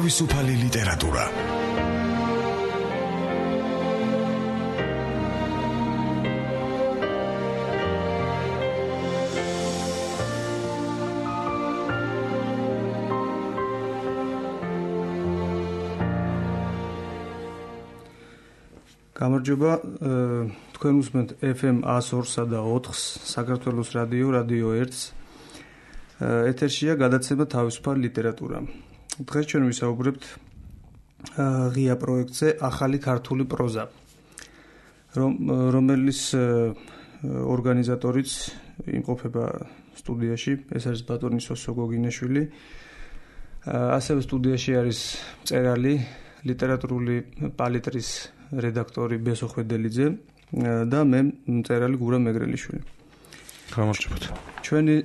თავისუფალი ლიტერატურა. გამარჯობა, თქვენ უსმენთ FM 102-სა და 4-ს, საქართველოს რადიო 1-ს. ეთერშია გადაცემა თავისუფალი ლიტერატურა. დღეს ჩვენ ვისაუბრებთ ღია პროექტზე ახალი ქართული პროზა, რომელის ორგანიზატორიც იმყოფება სტუდიაში, ეს არის ბატონი სოსო გოგინაშვილი. ასევე სტუდიაში არის მწერალი, ლიტერატურული პალიტრის რედაქტორი ბესო ხვედელიძე და მე მწერალი გურამ მეგრელიშვილი. გამარჯობათ. ჩვენი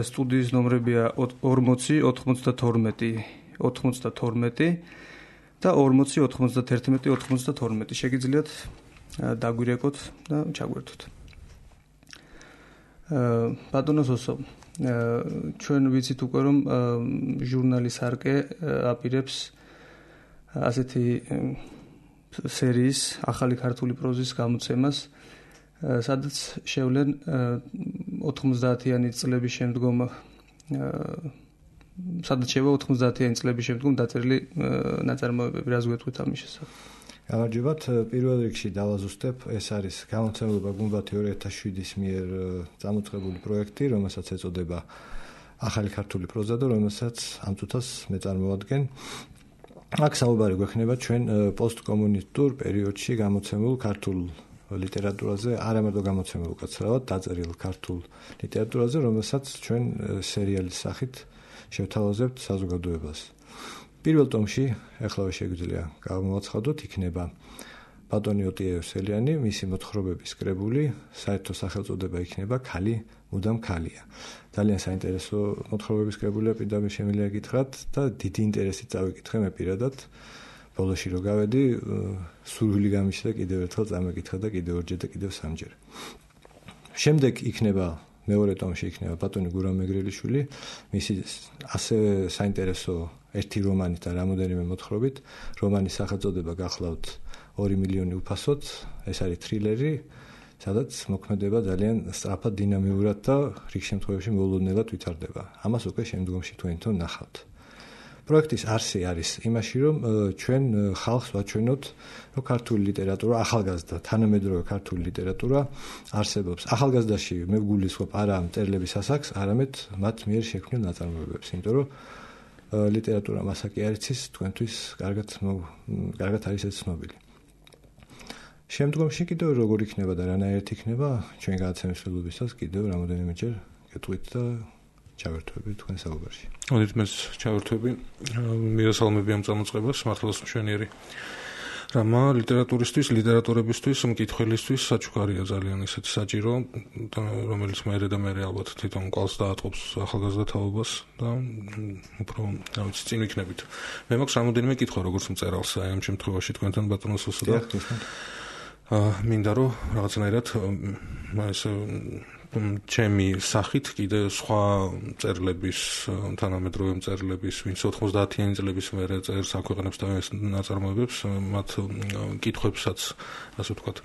სტუდიის ნომრებია 40 92 92 და 40 91 92. შეგიძლიათ დაგვირეკოთ და ჩაგვერთოთ. ბატონო სოსო, ჩვენ ვიცით უკვე რომ ჟურნალის არკე აპირებს ასეთი სერიის ახალი ქართული პროზის გამოცემას, სადაც შევლენ 90-იანი წლების შემდგომ დაწერილი ნაწარმოებები. რას გვეტყვით ამის შესახებ? გამარჯობათ. პირველ რიგში დავაზუსტებ, ეს არის გამოცემულობა გუმბათი 2007-ის მიერ წამოწყებული პროექტი, რომელსაც ეწოდება ახალი ქართული პროზა და რომელსაც ამ წუთას მე წარმოვადგენ. აქ საუბარი გვექნება ჩვენ პოსტკომუნისტურ პერიოდში გამოცემულ ქართულ ლიტერატურაზე, არა მარტო გამოცემულ, უკაცრავად დაწერილ ქართულ ლიტერატურაზე, რომელსაც ჩვენ სერიალის სახით შევთავაზებთ საზოგადოებას. პირველ ტომში, ახლავე შეგვიძლია გამოვაცხადოთ, იქნება ბატონი ოტიევსელიანი, მისი მოთხრობების კრებული, საერთო სახელწოდება იქნება ქალი მუდამ ქალია. ძალიან საინტერესო მოთხრობების კრებულია, პირდაპირ შემიძლია გითხრათ და დიდი ინტერესით წავიკითხე მე პირადად. ბოლოში რო გავედი, სურვილი გამიშლა კიდევ ერთხელ წამეკითხა და კიდევ ორჯერ და კიდევ სამჯერ. შემდეგ იქნება მეორე ტომში იქნება ბატონი გურამ მეგრელიშვილი, მისი ასევე საინტერესო ერთი რომანით და რამოდენიმე მოთხრობით. რომანის სახელწოდება გახლავთ 2 მილიონი უფასოდ, ეს არის თრილერი, სადაც მოქმედება ძალიან სწრაფად, დინამიურად და რიგ შემთხვევაში მოულოდნელად ვითარდება. ამას უკვე შემდგომში თქვენთან ნახავთ. პროექტის არსი არის იმაში, რომ ჩვენ ხალხს ვაჩვენოთ, რომ ქართული ლიტერატურა, ახალგაზრდა, თანამედროვე ქართული ლიტერატურა არსებობს. ახალგაზრდაში მე ვგულისხმობ არა მწერლების ასაკს, არამედ მათ მიერ შექმნილ ნაწარმოებებს, იმიტომ რომ ლიტერატურა მასაკი არის ის თქვენთვის კარგად არის ეს ცნობილი. შემდგომში კიდევ როგორ იქნება და რანაირად იქნება, ჩვენ გადაცემის ფილმებისას კიდევ რამოდენიმეჯერ გეტყვით და ჩავერთვები თქვენ საუბარში. მოდით მე ჩავერთვები. მივესალმები ამ წამოწყებას, მართლაც მშვენიერი რამა ლიტერატურისთვის, ლიტერატორებისთვის, მკითხველისთვის საჩუქარია ძალიან ისეთი საჭირო, რომელიც მერე და მერე ალბათ თვითონ კვალს დაატყობს ახალგაზრდა თაობას და უფრო წინ ვიქნებით. მე მაქვს რამოდენიმე კითხვა როგორც მწერალს, აი ამ შემთხვევაში თქვენთან ბატონო სოსო და მინდა რომ რაღაცნაირად ეს ჩემი სახით კიდე სხვა მწერლების, თანამედროვე მწერლების, ვინც 90-იანი წლების მერე წერს, აქვეყნებს და ნაწარმოებებს, მათ კითხვებსაც, ასე ვთქვათ,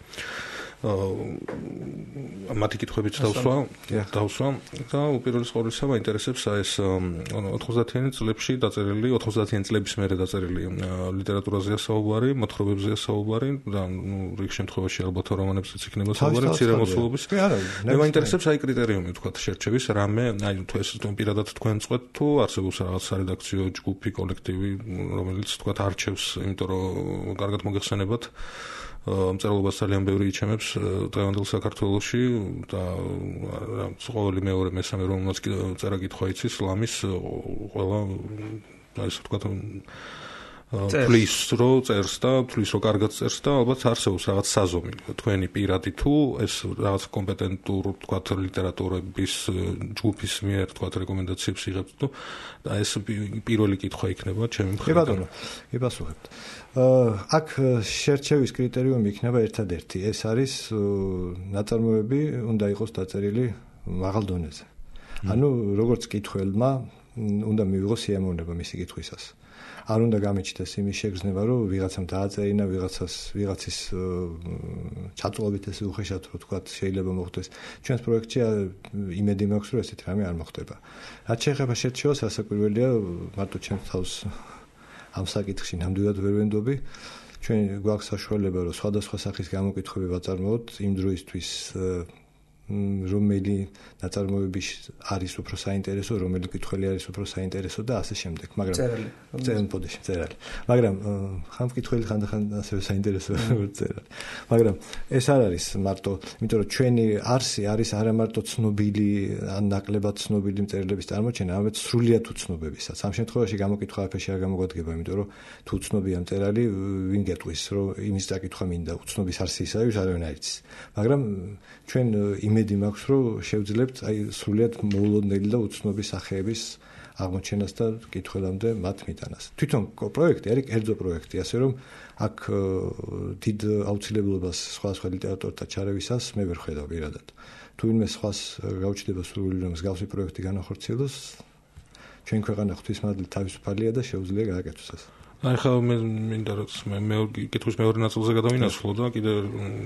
მათი კითხვებიც დავსვა და უპირველეს ყოვლისა მაინტერესებს ეს 90-იანი წლებში დაწერილი, 90-იანი წლების მერე დაწერილი ლიტერატურაზეა საუბარი, მოთხრობებზეა საუბარი და რიგ შემთხვევაში ალბათ რომანებზეც იქნება საუბარი, მცირე მოცულობის. მე მაინტერესებს აი კრიტერიუმი, ვთქვათ, შერჩევის რამე, აი თუ ეს პირადად თქვენ წყვეთ, თუ არსებობს რაღაც სარედაქციო ჯგუფი, კოლექტივი, რომელიც ვთქვათ არჩევს, იმიტომ რომ კარგად მოგეხსენებათ მწერლობას ძალიან ბევრი იჩემებს დღევანდელ საქართველოში და ყოველი მეორე მესამე რომელმაც წერა კითხვა იცის, ლამის ყველა ასე ვთქვათ ფლის რო წერს და ფლის რო კარგად წერს და ალბათ არსებობს რაღაც საზომი თქვენი პირადი თუ ეს რაღაც კომპეტენტურ ვთქვათ ლიტერატურების ჯგუფის მიერ ვთქვათ რეკომენდაციებს იღებთ თუ და ეს პირველი კითხვა იქნება ჩემი მხრიდან. ბატონო, გიპასუხებთ. აქ შერჩევის კრიტერიუმი იქნება ერთადერთი. ეს არის ნაწარმოები უნდა იყოს დაწერილი მაღალ დონეზე. ანუ როგორც კითხველმა უნდა მივიღოს სიამოვნება მისი კითხვისას. არ უნდა გამიჩნდეს იმის შეგრძნება, რომ ვიღაცამ დააწერინა, ვიღაცის ჩაწოლობით ეს უხეშად რო თქვა შეიძლება მოხდეს. ჩვენს პროექტში იმედი მაქვს, რომ ესეთი რამე არ მოხდება. რაც შეეხება შერჩევას, რასაკვირველია, მარტო ჩემს თავს ამ საკითხში ნამდვილად ვერ ვენდობი. ჩვენ გვაქვს საშუალება, რომ სხვადასხვა სახის გამოკითხვები ვაწარმოოთ იმ დროისთვის, რომელი ნაწარმოები არის უფრო საინტერესო, რომელი კითხველი არის უფრო საინტერესო და ასე შემდეგ. მაგრამ წერალი. მაგრამ ხან კითხველი ხანდახან ასევე საინტერესო წერალი. მაგრამ ეს არ არის მარტო, იმიტომ რომ ჩვენი არსი არის არა მარტო ცნობილი ან ნაკლებად ცნობილი მწერლების წარმოჩენა, არამედ სრულიად უცნობებისაც. ამ შემთხვევაში გამოკითხვა აფეში არ გამოგვადგება, იმიტომ რომ თუ უცნობია მწერალი, ვინ გეტყვის, რომ იმის დაკითხვა მინდა, უცნობის არსი ისაა, ვის არავინ არ იცის. მაგრამ ჩვენ იმედი მაქვს, რომ შევძლებთ აი სრულიად მოულოდნელი და უცნობი სახეების აღმოჩენას და კითხველამდე მათ მიტანას. თვითონ პროექტი არის კერძო პროექტი, ასე რომ აქ დიდ აუცილებლობას სხვადასხვა ლიტერატურთა ჩარევისას მე ვერ ხედავ პირადად. თუ ვინმე სხვას გაუჩნდება სურვილი რომ მსგავსი პროექტი განახორციელოს, ჩვენ ქვეყანა ღვთისმადლით თავისუფალია და შეუძლია გააკეთოს ეს. აი ხა მე მინდა რომ მე კითხვის მეორე ნაწილზე გადავინაცვლო და კიდე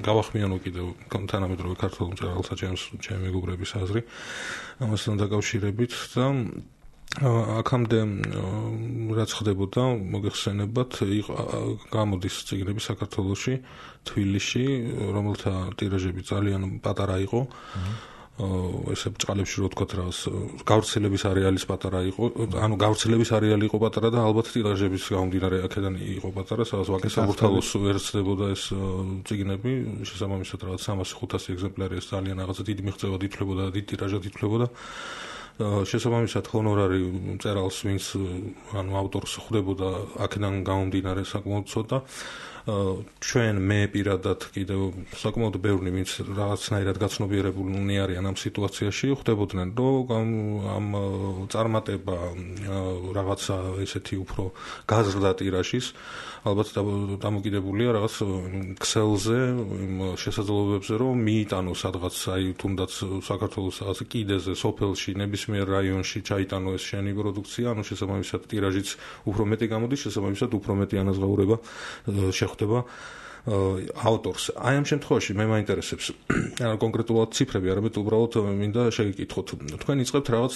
გავახმიანო კიდე თანამედროვე ქართულ მწერალთა ჩემი მეგობრების აზრი ამასთან დაკავშირებით და აქამდე რაც ხდებოდა მოგეხსენებათ გამოდის წიგნები საქართველოში თბილისში რომელთა ტირაჟები ძალიან პატარა იყო ესე ბჭყალებში რო თქვა რა გავრცელების არეალის პატარა იყო ანუ გავრცელების არეალი იყო პატარა და ალბათ ტირაჟების გამომდინარე აქედან იყო პატარა სადაც ვაკესაბურთალოს ვერ ცდებოდა ეს წიგნები შესაბამისად რაღაც 300-500 ეგზემპლარი ეს ძალიან რაღაცა დიდი მიღწევა ითვლებოდა და დიდი ტირაჟად ითვლებოდა შესაბამისად ჰონორარი მწერალს ვინც ანუ ავტორს ხვდებოდა აქედან გამომდინარე საკმაოდ ცოტა ჩვენ მე პირადად კიდევ საკმაოდ ბევრი ვინც რაღაცნაირად გაცნობიერებულნი არიან ამ სიტუაციაში ხვდებოდნენ რომ ამ წარმატება რაღაცა ესეთი უფრო გაზრდა ტირაჟის ალბათ დამოკიდებულია რაღაც ქსელზე იმ შესაძლებლობებზე რომ მიიტანო სადღაც აი თუნდაც საქართველოს რაღაც კიდეზე სოფელში ნებისმიერ რაიონში ჩაიტანო ეს შენი პროდუქცია ანუ შესაბამისად ტირაჟიც უფრო მეტი გამოდის შესაბამისად უფრო მეტი ანაზღაურება ხდება ავტორს. აი ამ შემთხვევაში მე მაინტერესებს კონკრეტულად ციფრები, არამედ უბრალოდ მინდა შეგეკითხოთ. თქვენ იწყებთ რაღაც,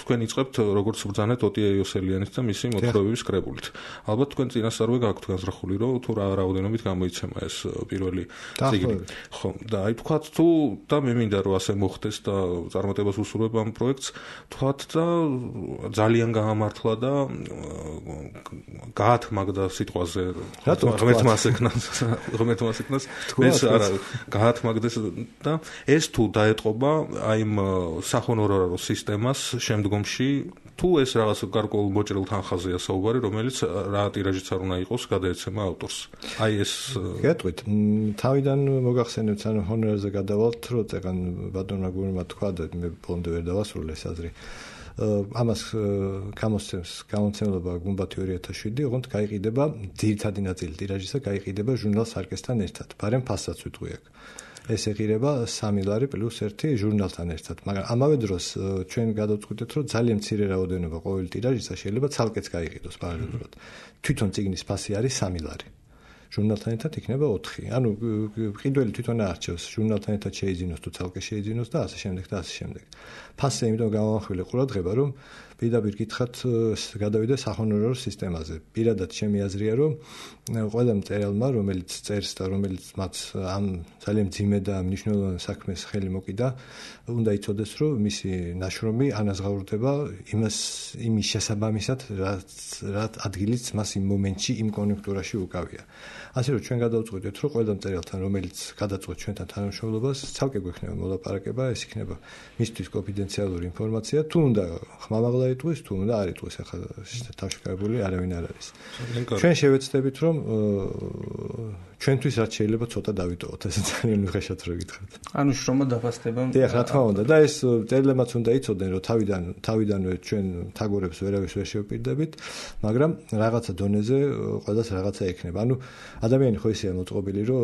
თქვენ იწყებთ როგორც ბრძანეთ ოტია იოსელიანის და მისი მოთხრობების კრებულით. ალბათ თქვენ წინასწარვე გაქვთ განზრახული, რომ თუ რა რაოდენობით გამოიცემა ეს პირველი წიგნი. ხო, და აი თქვათ თუ და მე მინდა რომ ასე მოხდეს და წარმატებას უსურვებ ამ პროექტს, თქვათ და ძალიან გაამართლა და გაათმაგდა სიტყვაზე ღმერთმას ეკნას ღმერთმას ეკნას ეს არა გაათმაგდეს და ეს თუ დაეტყობა აი იმ სახონორარო სისტემას შემდგომში თუ ეს რაღაც გარკვეულ მოჭრილ თანხაზეა საუბარი რომელიც რა ტირაჟიც არ უნდა იყოს გადაეცემა ავტორს აი ეს გეტყვით თავიდან მოგახსენებთ ანუ ჰონორარზე გადავალთ რომ წეგან ბატონმა გურმა თქვა და მე ბოლომდე ვერ დავასრულე ეს აზრი ამას გამოცემლობა გუმბათი 2007 ოღონდ გაიყიდება ძირითადი ნაწილი ტირაჟისა გაიყიდება ჟურნალ სარკესთან ერთად ბარემ ფასსაც ვიტყვი აქ ეს ეღირება 3 ლარი პლუს 1 ჟურნალთან ერთად მაგრამ ამავე დროს ჩვენ გადავწყვიტეთ რომ ძალიან მცირე რაოდენობა ყოველი ტირაჟისა შეიძლება ცალკეც გაიყიდოს პარალელურად თვითონ წიგნის ფასი არის 3 ლარი ჟურნალთან ერთად იქნება 4 ანუ ყიდველი თვითონ არჩევს ჟურნალთან ერთად შეიძინოს თუ ცალკე შეიძინოს და ასე შემდეგ და ასე შემდეგ ფასზე იმიტომ გამოვახვილე ყურადღება რომ პირდაპირ გითხრათ გადავიდე სახონორარო სისტემაზე პირადად ჩემი აზრია რომ ყველა მწერალმა რომელიც წერს და რომელიც მათ ამ ძალიან ძიმე და მნიშვნელოვან საქმეს ხელი მოკიდა უნდა იცოდეს რომ მისი ნაშრომი ანაზღაურდება იმის შესაბამისად რაც ადგილიც მას იმ მომენტში იმ კონიუნქტურაში უკავია ასე რომ ჩვენ გადავწყვიტეთ რომ ყველა მწერალთან რომელიც გადაწყვეტ ჩვენთან თანამშრომლობას ცალკე გვექნება მოლაპარაკება ეს იქნება მისთვის კონფიდენციალური ინფორმაცია თუ უნდა ხმამაღლა იტყვის თუ უნდა არ იტყვის ახლა თავშეკავებული არავინ არ არის ჩვენ შევეცდებით რომ ჩვენთვის რაც შეიძლება ცოტა დავიტოვოთ ეს ძალიან უხეშად რო გითხრათ ანუ შრომა დაფასდება დიახ რა თქმა უნდა და ეს წერლებმაც უნდა იცოდნენ რომ თავიდანვე ჩვენ თაგორებს ვერავის ვერ შევპირდებით მაგრამ რაღაცა დონეზე ყველას რაღაცა ექნება ანუ ადამიანი ხო ისეა მოწყობილი, რომ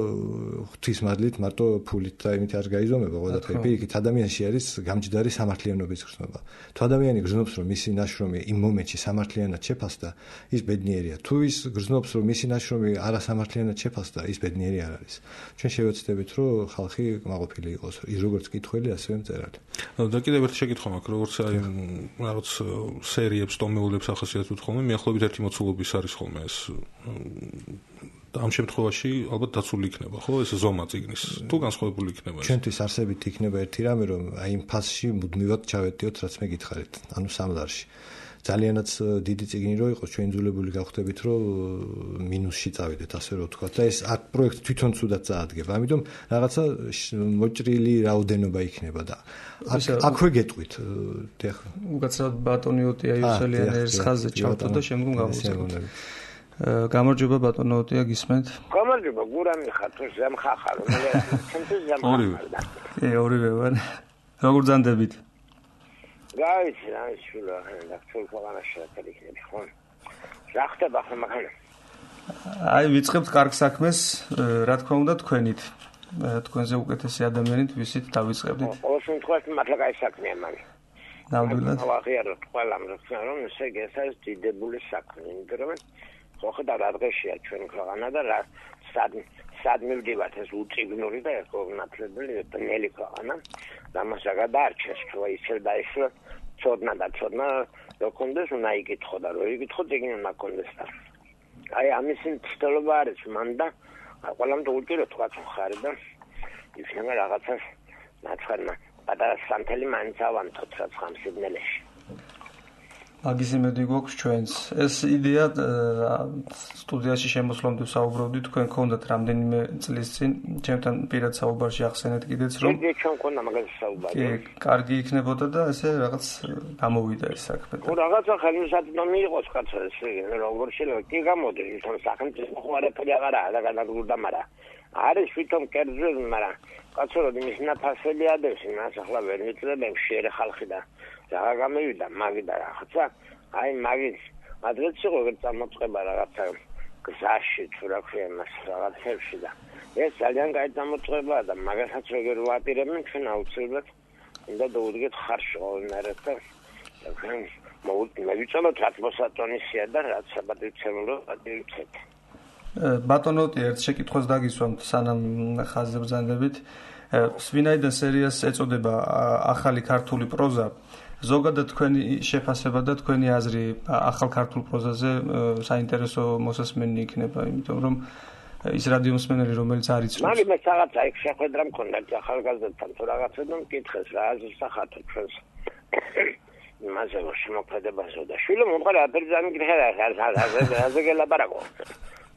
ღვთისმადლით მარტო ფულით და იმით არ გაიზომება ყველაფერი. პირიქით ადამიანში არის გამჯდარი სამართლიანობის გრძნობა. თუ ადამიანი გრძნობს, რომ მისი ნაშრომი იმ მომენტში სამართლიანად შეფასდა, ის ბედნიერია. თუ ის გრძნობს, რომ მისი ნაშრომი არასამართლიანად შეფასდა, ის ბედნიერი არ არის. ჩვენ შევეცდებით, რომ ხალხი კმაყოფილი იყოს, ის როგორც კითხველი, ასევე მწერალი. და კიდევ ერთი შეკითხვა მაქვს, როგორც აი რაღაც სერიებს, ტომეულებს ახასიათებთ ხოლმე, მიახლოებით ერთი მოცულობის არის ხოლმე ეს. ამ შემთხვევაში ალბათ დაცული იქნება, ხო, ეს ზომა წიგნის. თუ განსხვავებული იქნება ეს. ჩვენთვის არსებით იქნება ერთი რამე, რომ აი იმ ფასში მუდმივად ჩავედიოთ, რაც მე გითხარით, ანუ სამლარში. ძალიანაც დიდი წიგნი რო იყოს, ჩვენ იძულებული გავხდებით, რომ მინუსში წავიდეთ, ასე რომ ვთქვა. და ეს აქ პროექტი თვითონ ცუდად წაადგება. ამიტომ რაღაცა მოჭრილი რაოდენობა იქნება და აქვე გეტყვით. უკაცრავად ბატონი ოტია იუსელიანის ხაზზე ჩავთო და შემდგომ გავუწევთ. გამარჯობა ბატონო ოტია, გისმენთ? გამარჯობა, გურამი ხარ, თუ ზემხახარ, მე ჩემთვის ზემხახარ. ორივე ვარ. როგორ ძანდებით? გაიცი რა შულა, და თულ ქვეყანაში შევექნები, ხო? რა ხდება ხომ მაგალ? აი ვიწყებთ კარგ საქმეს, რა თქმა უნდა თქვენით. თქვენზე უკეთესი ადამიანით ვისით დავიწყებდით. ყოველ შემთხვევაში მართლა კაი საქმეა მაგ. ნამდვილად. აღიაროთ ყველამ რომ ესე ეს დიდებული საქმე, იმიტომ რომ ხო და რა დღეშია ჩვენ ქვეყანა და რა სად მივდივართ ეს უწიგნური და ეკონათლებელი ბნელი ქვეყანა. დამასა გადაარჩეს თუ ისე და ისე ცოდნა რო კონდეს უნდა იკითხო და რო იკითხო წიგნი უნდა კონდეს და აი ამის ცდელობა არის მანდა ყველამ თუ უჭირო თქვა ხარ და იქნება რაღაცას ნაცხარმა პატარა სანთელი მაინც ავანთოთ რაც ხამსიბნელეში მაგის იმედი გვაქვს ჩვენს. ეს იდეა სტუდიაში შემოსვლამდე საუბრობდით, თქვენ გქონდათ რამდენიმე წლის წინ, ჩემთან პირად საუბარში ახსენეთ კიდეც, რომ ჩვენ გქონდა მაგაზე საუბარი. კარგი იქნებოდა და ესე რაღაც გამოვიდა ეს საქმე. რაღაცა ხელმისაწვდომი იყოს კაცო ესე, როგორ შეიძლება კი გამოდი, თუმცა სახელმწიფო ხوارეფერი აღარაა და განადგურდა, მაგრამ არის თვითონ კერძი, მაგრამ კაცო რომ იმის ნაფასები ადევს, იმას ახლა ვერ მიწრებენ შეერე ხალხი და რა გამივიდა მაგი და რაღაცა აი მაგის ადრეც იყო წარმოწება რაღაცა გზაში თუ რა ქვია მას რაღაცებში და ეს ძალიან კაი წარმოწებაა და მაგასაც როგორ ვაპირებენ ჩვენ აუცილებლად უნდა დაუდგეთ ხარში ყოველნაირად და მოვიწელოთ რაც მოსატონისია და რაც საბადოებრივ ადივცეთ ბატონოტი ერთ შეკითხვას დაგისვამთ სანამ ხაზზე ბრძანდებით ვინაიდან სერიას ეწოდება ახალი ქართული პროზა ზოგადად თქვენი შეფასება და თქვენი აზრი ახალ ქართულ პროზაზე საინტერესო მოსასმენი იქნება, იმიტომ რომ ის რადიომსმენელი რომელიც არ იცნობს. მაგ მე რაღაცა იქ შეხვედრა მქონდა ახალგაზრდთან თუ რაღაცა და მკითხეს რა აზრს ახათო ჩვენს. იმაზე შემოქმედებასო და შვილო მომყარა აფერი დამიკითხა აზე გელაპარაკო.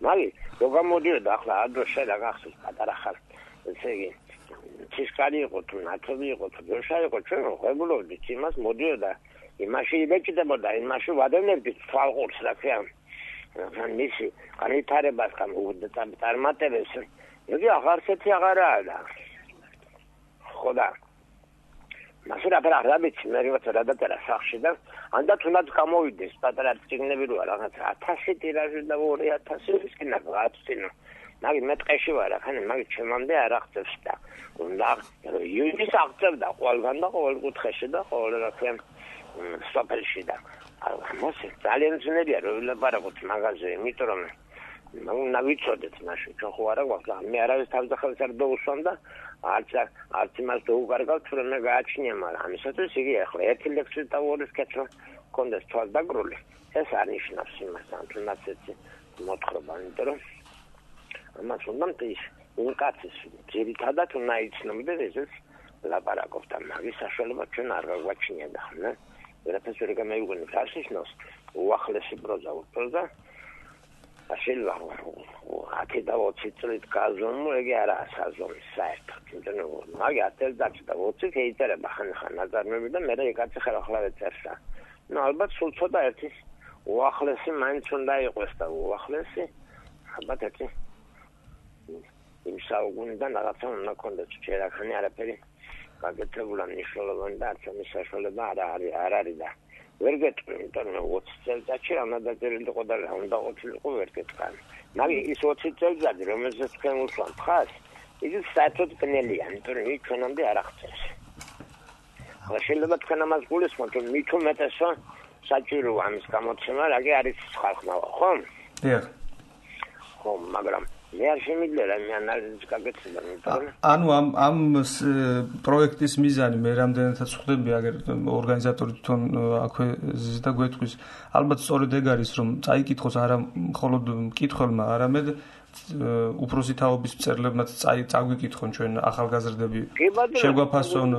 მაგი რო გამოდიოდა ახლა ადრე შედა გახსოვს პატარა ხარ. ესე იგი ცისკარი იყო თუ ნათლი იყო თუ დროშა იყო ჩვენ ღვებულობდით იმას მოდიოდა იმაში იბეჭდებოდა იმაში ვადევნებდით თვალყურს რა ქვია მისი განვითარებას წარმატებებს იგი აღარსეთი აღარაა და ხოდა მასე რა ვიცი მე რა დაწერა სახში და ანდაც უნდა გამოვიდეს პატარა წიგნები რო რაღაც 1000 ტირაჟი და 2000 ის კიდე გაწინო მაგი მე ტყეში ვარ ახლა მაგი ჩემამდე არ აღწევს და უნდა იუნის აღწევდა ყველგან და ყოველ კუთხეში და ყოველ რა ქვია სოფელში და მოსე ძალიან ძნელია რომ ლაპარაკოთ მაგაზე იმიტომ რომ უნდა ვიცოდეთ მაშინ ჩვენ ხო არა გვაქვს მე არავის თავდახელს არ დაუსვამ და არც იმას დაუკარგავ თუ მე გააჩნია მაგრამ ამისათვის იგი ახლა ერთი ლექსი და ორი სკეჩო კონდეს თვალდაგრული ეს არ ნიშნავს იმას ან თუნდაც έτσι მოთხრობა იმიტომ რომ ამას უნდა ის უკაცეს ძირითადად უნდა იცნობდეს ესეც ლაპარაკობთ და მაგის საშუალება ჩვენ არ გაგვაჩნია და ხო ვერაფერს ვერ გამეუგონებ რა შეშნოს უახლესი პროზა შეიძლება 10 და 20 წლით გაზომო ეგ არაა საზომი საერთოდ იმიტომ რომ მაგი 10 და 20 შეიძლება ხან ნაზარმები და მე ეგაც ახლა ეწერსა ნუ ალბათ სულ ცოტა ერთი უახლესი მაინც უნდა იყოს და უახლესი ალბათ ერთი იმ საუკუნიდან რაღაცა უნდა კონდეს ჯერახანი არაფერი გაკეთებულა მნიშვნელოვანი და არც ამის საშუალება არ არის და ვერ გეტყვი, იმიტომ რომ 20 წელიწადში რა უნდა დაწერილი იყო და რა უნდა ყოფილიყო ვერ გეტყვი. მაგრამ ის 20 წელიწადი, რომელზეც თქვენ უსვამთ ხას, ის საერთოდ ბნელია, იმიტომ რომ ის ჩვენამდე არ აღწევს. ახლა შეიძლება თქვენ ამას გულისხმოთ, რომ მით უმეტესო საჭიროა ამის გამოცემა, რა კი არის ხალხნავა, ხო? დიახ. ხო, მაგრამ მე არ შემიძლია რა მე ანალიზი გაგეცემა, იმიტომ რომ ანუ ამ პროექტის მიზანი მე რამდენადაც ხვდები, აგერ ორგანიზატორი თვითონ აქვე ზის და გვეთქვის, ალბათ სწორედ ეგ არის, რომ წაიკითხოს არა მხოლოდ მკითხველმა, არამედ უფროსი თაობის მწერლებმაც წაგვიკითხონ ჩვენ ახალგაზრდები, შეგვაფასონ,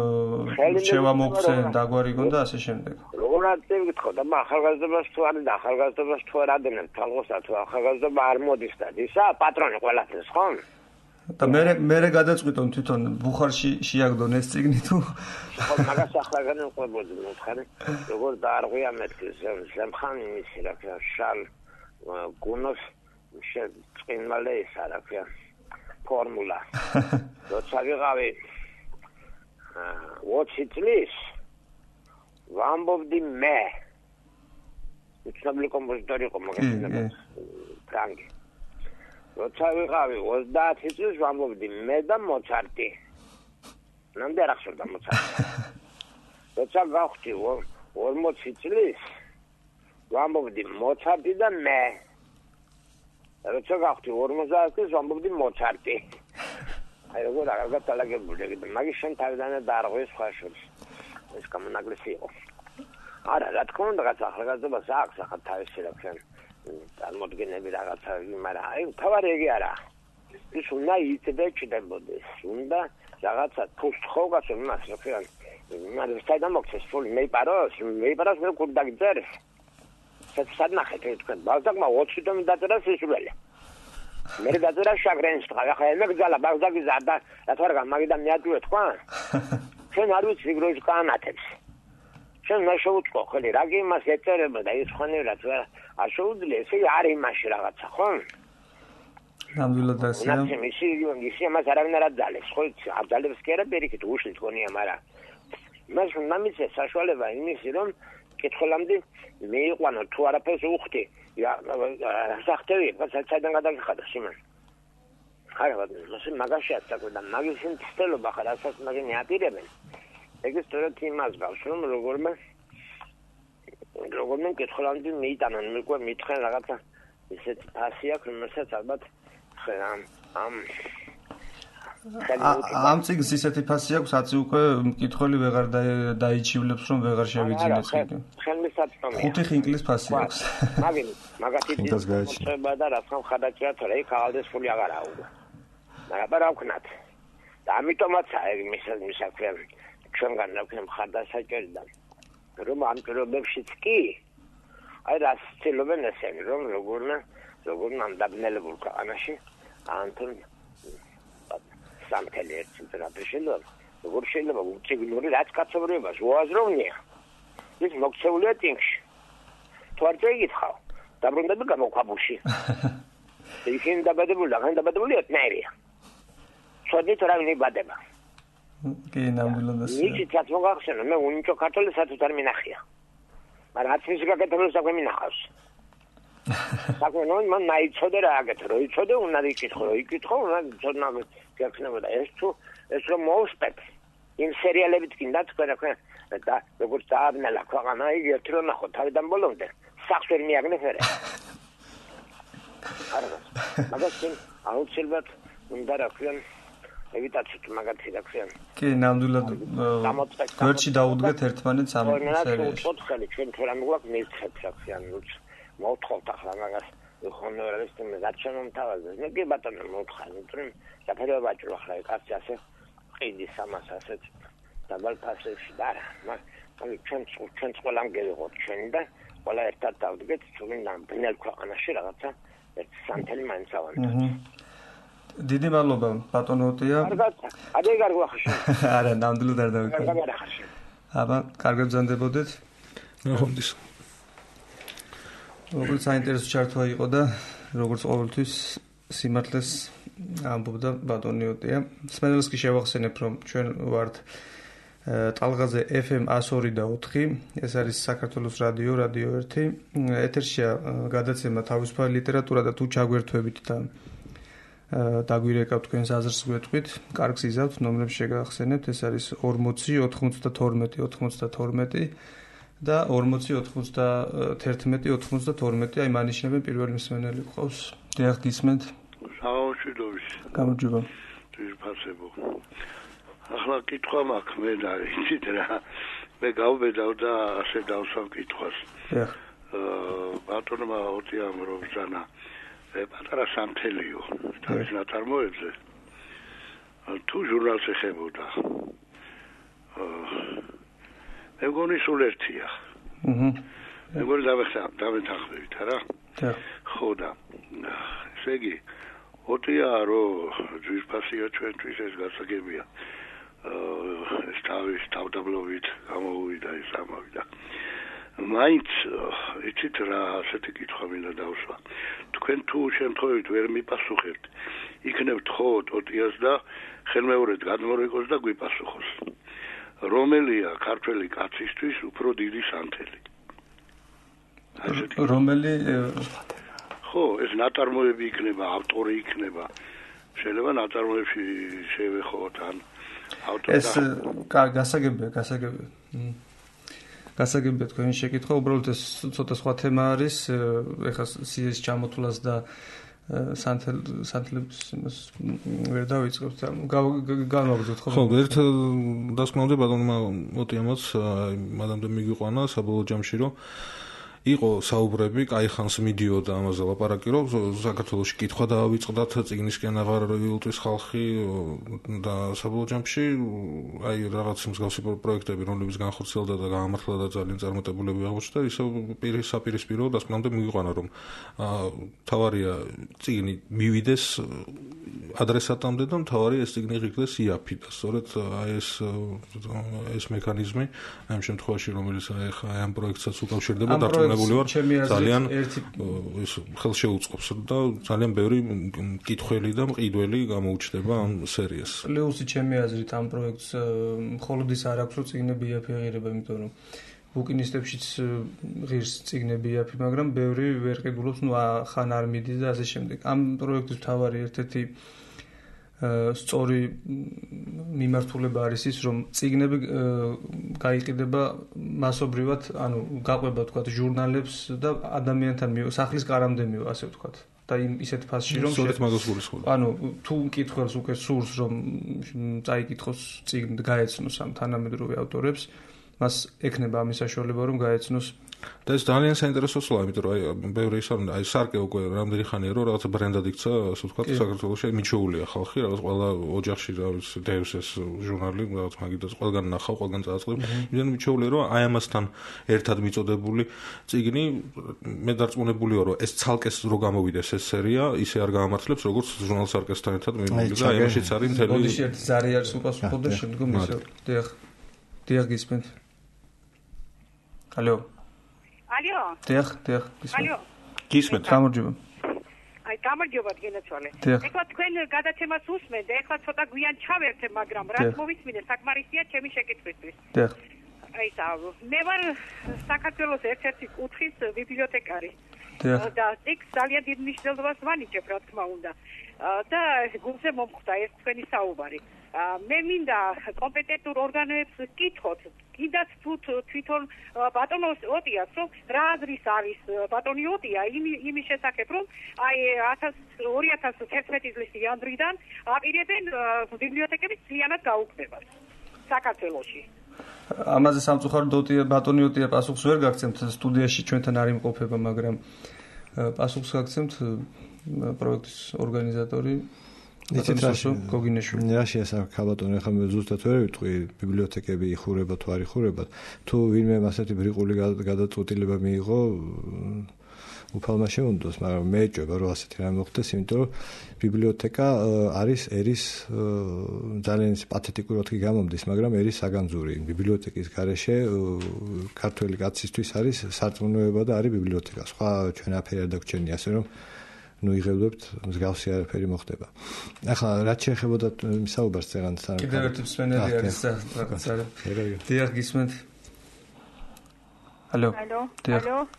შევამოქცენ, დაგვარიგონ და ასე შემდეგ. როგორ აკეთებთ და ახალგაზრდობას თუ არის და ახალგაზრდობას თუ არ ადევნებთ თალღოსა თუ ახალგაზრდობა არ მოდის და ისა პატრონი ყველაფერს ხო? და მე გადაწყვიტონ თვითონ ბუხარში შეაგდონ ეს წიგნი თუ ხო მაგას ახლა განვყვებოდი მოთხარი როგორ დაარღვია მეთქი ზემხანი მისი რა ქვია შალ გუნოს წინმალე ისა რა ქვია ფორმულა როცა ვიღავი 20 წლის ვამბობდი მე უცნობი კომპოზიტორი იყო მაგას ფრანგი როცა ვიყავი 30 წლის ვამბობდი მე და მოცარტი ნამდვილად არ ახსოვდა მოცარტი როცა გავხდი 40 წლის ვამბობდი მოცარტი და მე როცა გავხდი 50 წლის ვამბობდი მოცარტი აი როგორ აღარ დალაგებული და მაგის შენ თავიდანვე დაარღვეს სხვა შორის ეს გამონაკლისი იყო არა რა თქმა უნდა რაღაც ახალგაზრდობას აქვს ახლა თავისი რა ქვია წარმოდგენები რაღაცა მაგრამ აი თავარი ეგ არა ის უნდა იწდე ჩდებოდეს უნდა რაღაცა თუშხოგას იმას რა ქვია მაგრამ საერთოდ მოხდეს ფული მეიპაროს მე კურ დაგიწერეს სად ნახეთ თქვენ ბალზაკმა 20 თვე დაწერა სისულელე მე დაწერა შაგრენს ახლა მე გძალა ბალზაკი ზარდა რა თქმა უნდა მაგიდან მიატვირე თქვა ჩვენ არ ვიცი როგორ განათებს ჩვენ მე შევუწყო ხოლმე რა კი იმას ეწერება და ის ხონერად არ შეუძლია ესე არ იმაში რაღაცა ხო ნამდვილად ასე ისე მას არავინ არ აძალებს ხო არ ძალებს კი არა პირიქით უშლით გონია მაგრამ მას ნამიცე საშუალება იმისი რომ კითხულამდე მეიყვანო თუ არაფერს უხდი სახტევი საერთოდ გადაგიხადა სიმან ხარაბად მაგაშია საკუდა მაგის ინტელობა ხარ ასაც მაგენი აპირებენ ეგ სწორედ იმას გავს რომ როგორმე კითხულამდე მიიტანონ მეკვე მითხენ რაღაცა ისეთი ფასი აქვს რომელსაც ალბათ ამ წიგნს ისეთი ფასი აქვს აცი უკვე მკითხველი ვეღარ დაიჩივლებს რომ ვეღარ შევიძინეს იგი ხელმისაწვდომია 5 ხინკლის ფასი აქვს მაგათი მოწება და რასთან ხადაჭია თორე იქ აღალდეს ფული აღარა უნდა მაგრამ რა ვქნათ და ამიტომაც აი მისაქვია ჩვენგან რა ვქნა ხადასაჭერი და რომ ამ პირობებშიც კი აი რას ცდილობენ ესენი რომ როგორ ამ დაბნელებულ ქვეყანაში ანთონ სამთელი ერთ ტემპერატურაში შეიძლება როგორ შეიძლება უციგნური რაც კაცობრიობას უაზროვნია ის მოქცეულია ტინგში თუ არ წაიგითხავ დაბრუნდები გამოქვაბულში ისინი დაბადებული ეთნერია ცოდით რა ვინიბადება კი ნამდვილად ასე ნიჭიც მოგახსენე მე უნიჭო ქართული სათუთ არ მინახია მაგრამ აცის გაკეთებულ საქმე მინახავს საქმე მან მაიცოდე რა აკეთე რო იცოდე უნდა იკითხო უნდა ცოდნა გაქნებოდა ეს რომ მოუსპეთ იმ სერიალებით კიდე თქვენ და როგორც დააბნელა ქვეყანა იგი ერთ რო ნახო თავიდან ბოლომდე სახს ვერ მიაგნეს ერე მაგას აუცილებლად უნდა რა ქვია ევიტაციით მაგათი რა ქვია კი ნამდვილად გვერდში დაუდგეთ ერთმანეთს ამ სერიაში ხელი ჩვენ თუ რა მოგვაქვს მისცეთ რა ქვია მოთხოვთ ახლა მაგას ხონორალისტი მე გაჩვენომთავაზე მე კი ბატონო მოთხარ იმიტომ საფერე ვაჭრო ახლა კაცი ასე ყიდის ამას ასეთ დაბალ ფასებში და მაგრამ ჩვენ ყველამ გეღოთ ჩვენი და ყველა ერთად დავდგეთ ჩვენ ბნელ ქვეყანაში რაღაცა ერთ სამთელი მაინც ავანტოთ დიდი მადლობა ბატონო ოტია ადე კარგი ვახში არა ნამდვილად არ დავიქვა აბა კარგად ბრძანდებოდეთ ნახონდის როგორც საინტერესო ჩართვა იყო და როგორც ყოველთვის სიმართლეს ამბობდა ბატონი ოტია. სმენელს კი შევახსენებ, რომ ჩვენ ვართ ტალღაზე FM 102.4, ეს არის საქართველოს რადიო 1. ეთერშია გადაცემა თავისუფალი ლიტერატურა და თუ ჩაგვერთვებით და დაგვირეკავთ თქვენს აზრს გვეტყვით, კარგს იზავთ, ნომრებს შეგახსენებთ, ეს არის 40 92 92 და 40 91 92, აი მანიშნებენ პირველი მსმენელი ყავს. დიახ, გისმენთ? საუშვიდობის. გამარჯობა. ძირფასებო. ახლა კითხვა მაქვს მე და იცით რა. მე გავბედავ და ასე დავსვამ კითხვას. დიახ. ბატონმა ოტიამ რობზანა პატარა სამთელიო თავის ნაწარმოებზე თუ ჟურნალს ეხებოდა მე მგონი სულ ერთია მე მგონი დავეთანხმებით არა ხო და ესე იგი ოტია რომ ძვირფასია ჩვენთვის ეს გასაგებია ეს თავის თავდაბლობით გამოუვიდა ის ამავიდა მაინც იცით რა ასეთი კითხვა მინდა დავსვა თქვენ თუ შემთხვევით ვერ მიპასუხებთ იქნებთ ხო ოტიას და ხელმეორედ გადმორეკოს და გვიპასუხოს რომელია ქართველი კაცისთვის უფრო დიდი სანთელი რომელი ხო ეს ნაწარმოები იქნება ავტორი იქნება შეიძლება ნაწარმოებში შევეხოთ ან ავტორი ეს გასაგებია თქვენი შეკითხვა, უბრალოდ ეს ცოტა სხვა თემა არის, ეხლა სიეს ჩამოთვლას და სანთლებს იმას ვერ დავიწყებთ. განვაგრძოთ ხო? ხო, ერთ დასკვნამდე ბატონმა ოტიამაც მადამდე მიგვიყვანა საბოლოო ჯამში რომ იყო საუბრები, კაი ხანს მიდიოდა ამაზე ლაპარაკი, რომ საქართველოში კითხვა დაავიწყდათ, წიგნისკენ აღარ ილტვის ხალხი და საბოლოო ჯამში აი რაღაც მსგავსი პროექტები, რომლებიც განხორციელდა და გაამართლა და ძალიან წარმატებულები აღმოჩნდა, ისე საპირისპირო დასკვნამდე მიგვიყვანა, რომ თავარია წიგნი მივიდეს ადრესატამდე და თავარია ეს წიგნი ღირდეს იაფი და სწორედ აი ეს მექანიზმი ამ შემთხვევაში რომელიც აი ამ პროექტსაც უკავშირდება დარწმუნებული ვარ ძალიან ის ხელშეუწყობს და ძალიან ბევრი კითხველი და მყიდველი გამოუჩნდება ამ სერიას. პლუსი ჩემი აზრით ამ პროექტს მხოლოდ ის არ აქვს რომ წიგნები იაფი აღიარება, იმიტომ რომ ბუკინისტებშიც ღირს წიგნები იაფი, მაგრამ ბევრი ვერ ყიდულობს, ხან არ მიდის და ასე შემდეგ. ამ პროექტის მთავარი ერთ-ერთი სწორი მიმართულება არის ის, რომ წიგნები გაიყიდება მასობრივად, ანუ გაყვება თქვათ ჟურნალებს და ადამიანთან სახლის კარამდე მივა, ასე ვთქვათ. და ისეთ ფასში რომ სწორედ მაგას გულისხმობ. ანუ თუ მკითხველს უკვე სურს რომ წაიკითხოს წიგნი გაეცნოს ამ თანამედროვე ავტორებს, მას ექნება ამის საშუალება რომ გაეცნოს და ეს ძალიან საინტერესო სვლა, იმიტომ რომ აი ბევრი ის არის, აი სარკე უკვე რამდენი ხანია რომ რაღაცა ბრენდად იქცა, ასე ვთქვათ, საქართველოში მიჩვეულია ხალხი, რაღაც ყველა ოჯახში რაღაც დევს ეს ჟურნალი, რაღაც მაგიდას ყველგან ნახავ, ყველგან წააწყლებ. იმდენ მიჩვეულია რომ აი ამასთან ერთად მიწოდებული წიგნი მე დარწმუნებული ვარ რომ ეს ცალკეს რო გამოვიდეს ეს სერია, ისე არ გაამართლებს როგორც ჟურნალ სარკესთან ერთად მიმოვიდა და აი ამაშიც არის მთელი ბოდიში ერთი ზარი არის უპასუხო და შემდგომ ისე დიახ გისმენთ. ალო ალო. დიახ, ალო. გისმენთ. გამარჯობა. აი, გამარჯობა გენაცვალე. ეხლა თქვენ გადაცემას უსმენთ, ეხლა ცოტა გვიან ჩავერთე, მაგრამ რაც მოვისმინე საკმარისია ჩემი შეკითხვისთვის. დიახ. აი, მე ვარ საქართველოს ერთ-ერთი კუთხის ბიბლიოთეკარი. და ეს ძალიან დიდ მნიშვნელობას ვანიჭებ, რა თქმა უნდა. და გულზე მომხვდა ეს თქვენი საუბარი. მე მინდა კომპეტენტურ ორგანოებს კითხოთ, კიდაც თვითონ ბატონ ოტიას, რომ რა აზრის არის ბატონი ოტია იმის შესახებ, რომ აი 2011 წლის იანვრიდან აპირებენ ბიბლიოთეკების ძალიანად გაუქმებას საქართველოში. ამაზე სამწუხაროდ ბატონი ოტია პასუხს ვერ გაგცემთ, სტუდიაში ჩვენთან არ იმყოფება, მაგრამ პასუხს გაგცემთ პროექტის ორგანიზატორი იცით რაში ასაკა ბატონო, ახლა მე ზუსტად ვერ ვიტყვი ბიბლიოთეკები იხურება თუ არ იხურება, თუ ვინმე ასეთი ბრიყული გადაწყვეტილება მიიღო უფალმა შეუნდოს, მაგრამ მე ეჭვება რომ ასეთი რამე მოხდეს, იმიტომ რომ ბიბლიოთეკა არის ერის ძალიან პათეტიკურად კი გამომდის, მაგრამ ერის საგანძური. ბიბლიოთეკის გარეშე ქართველი კაცისთვის არის სარწმუნოება და არის ბიბლიოთეკა. სხვა ჩვენაფერი არ დაგჩენია, ასე რომ იღებდებთ მსგავსი არაფერი მოხდება. ახლა რაც შეეხებოდა საუბარს წეგანთან. კიდევ ერთი მსმენელი არის რაღაცა. დიახ, გისმენთ. Алло.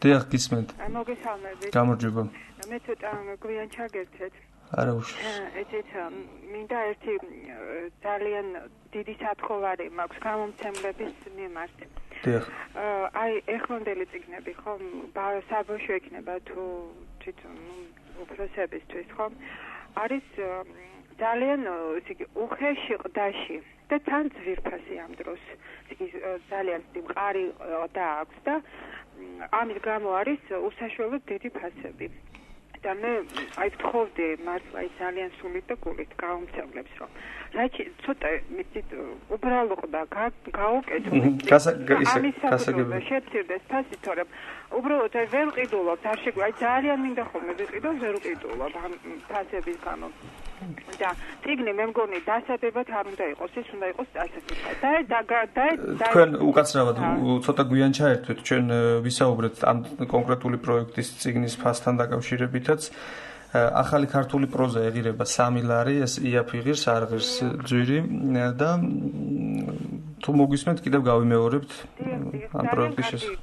დიახ, გისმენთ. მოგესალმებით. გამარჯობა. მე ცოტა გვიან ჩაგერთეთ. არა უშ. ესეც მინდა ერთი ძალიან დიდი სათხოვარი მაქვს გამომცემლების მიმართ. დიახ. აი ეხლანდელი წიგნები ხომ საბავშვო ექნება თუ თვითონ უფროსებისთვის ხომ არის ძალიან ისე იგი უხეში ყდაში და თან ძვირფასი ამ დროს ისე ძალიან მყარი და აქვს და ამის გამო არის უსაშველოდ დიდი ფასები. და მე აი ვთხოვდი მართლა ძალიან სულით და გულით გამომცემლებს რომ რაჩი ცოტა მიწით უბრალო ყდა გაუკეთო გასაგებია შეცირდეს ფასი თორემ უბრალოდ აი ვერ ყიდულობთ არ შეგვი აი ძალიან მინდა ხოლმე ვიყიდო ვერ ყიდულობ ამ ფასების გამო და წიგნი მე მგონი დასადებად არ უნდა იყოს ის უნდა იყოს დასადებად და თქვენ უკაცრავად ცოტა გვიან ჩაერთვეთ ჩვენ ვისაუბრეთ ამ კონკრეტული პროექტის წიგნის ფასთან დაკავშირებითაც ახალი ქართული პროზა ეღირება 3 ლარი ეს იაფიღირს არღირს ძვირი და თუ მოგისმენთ კიდევ გავიმეორებთ ამ პროექტის შესახებ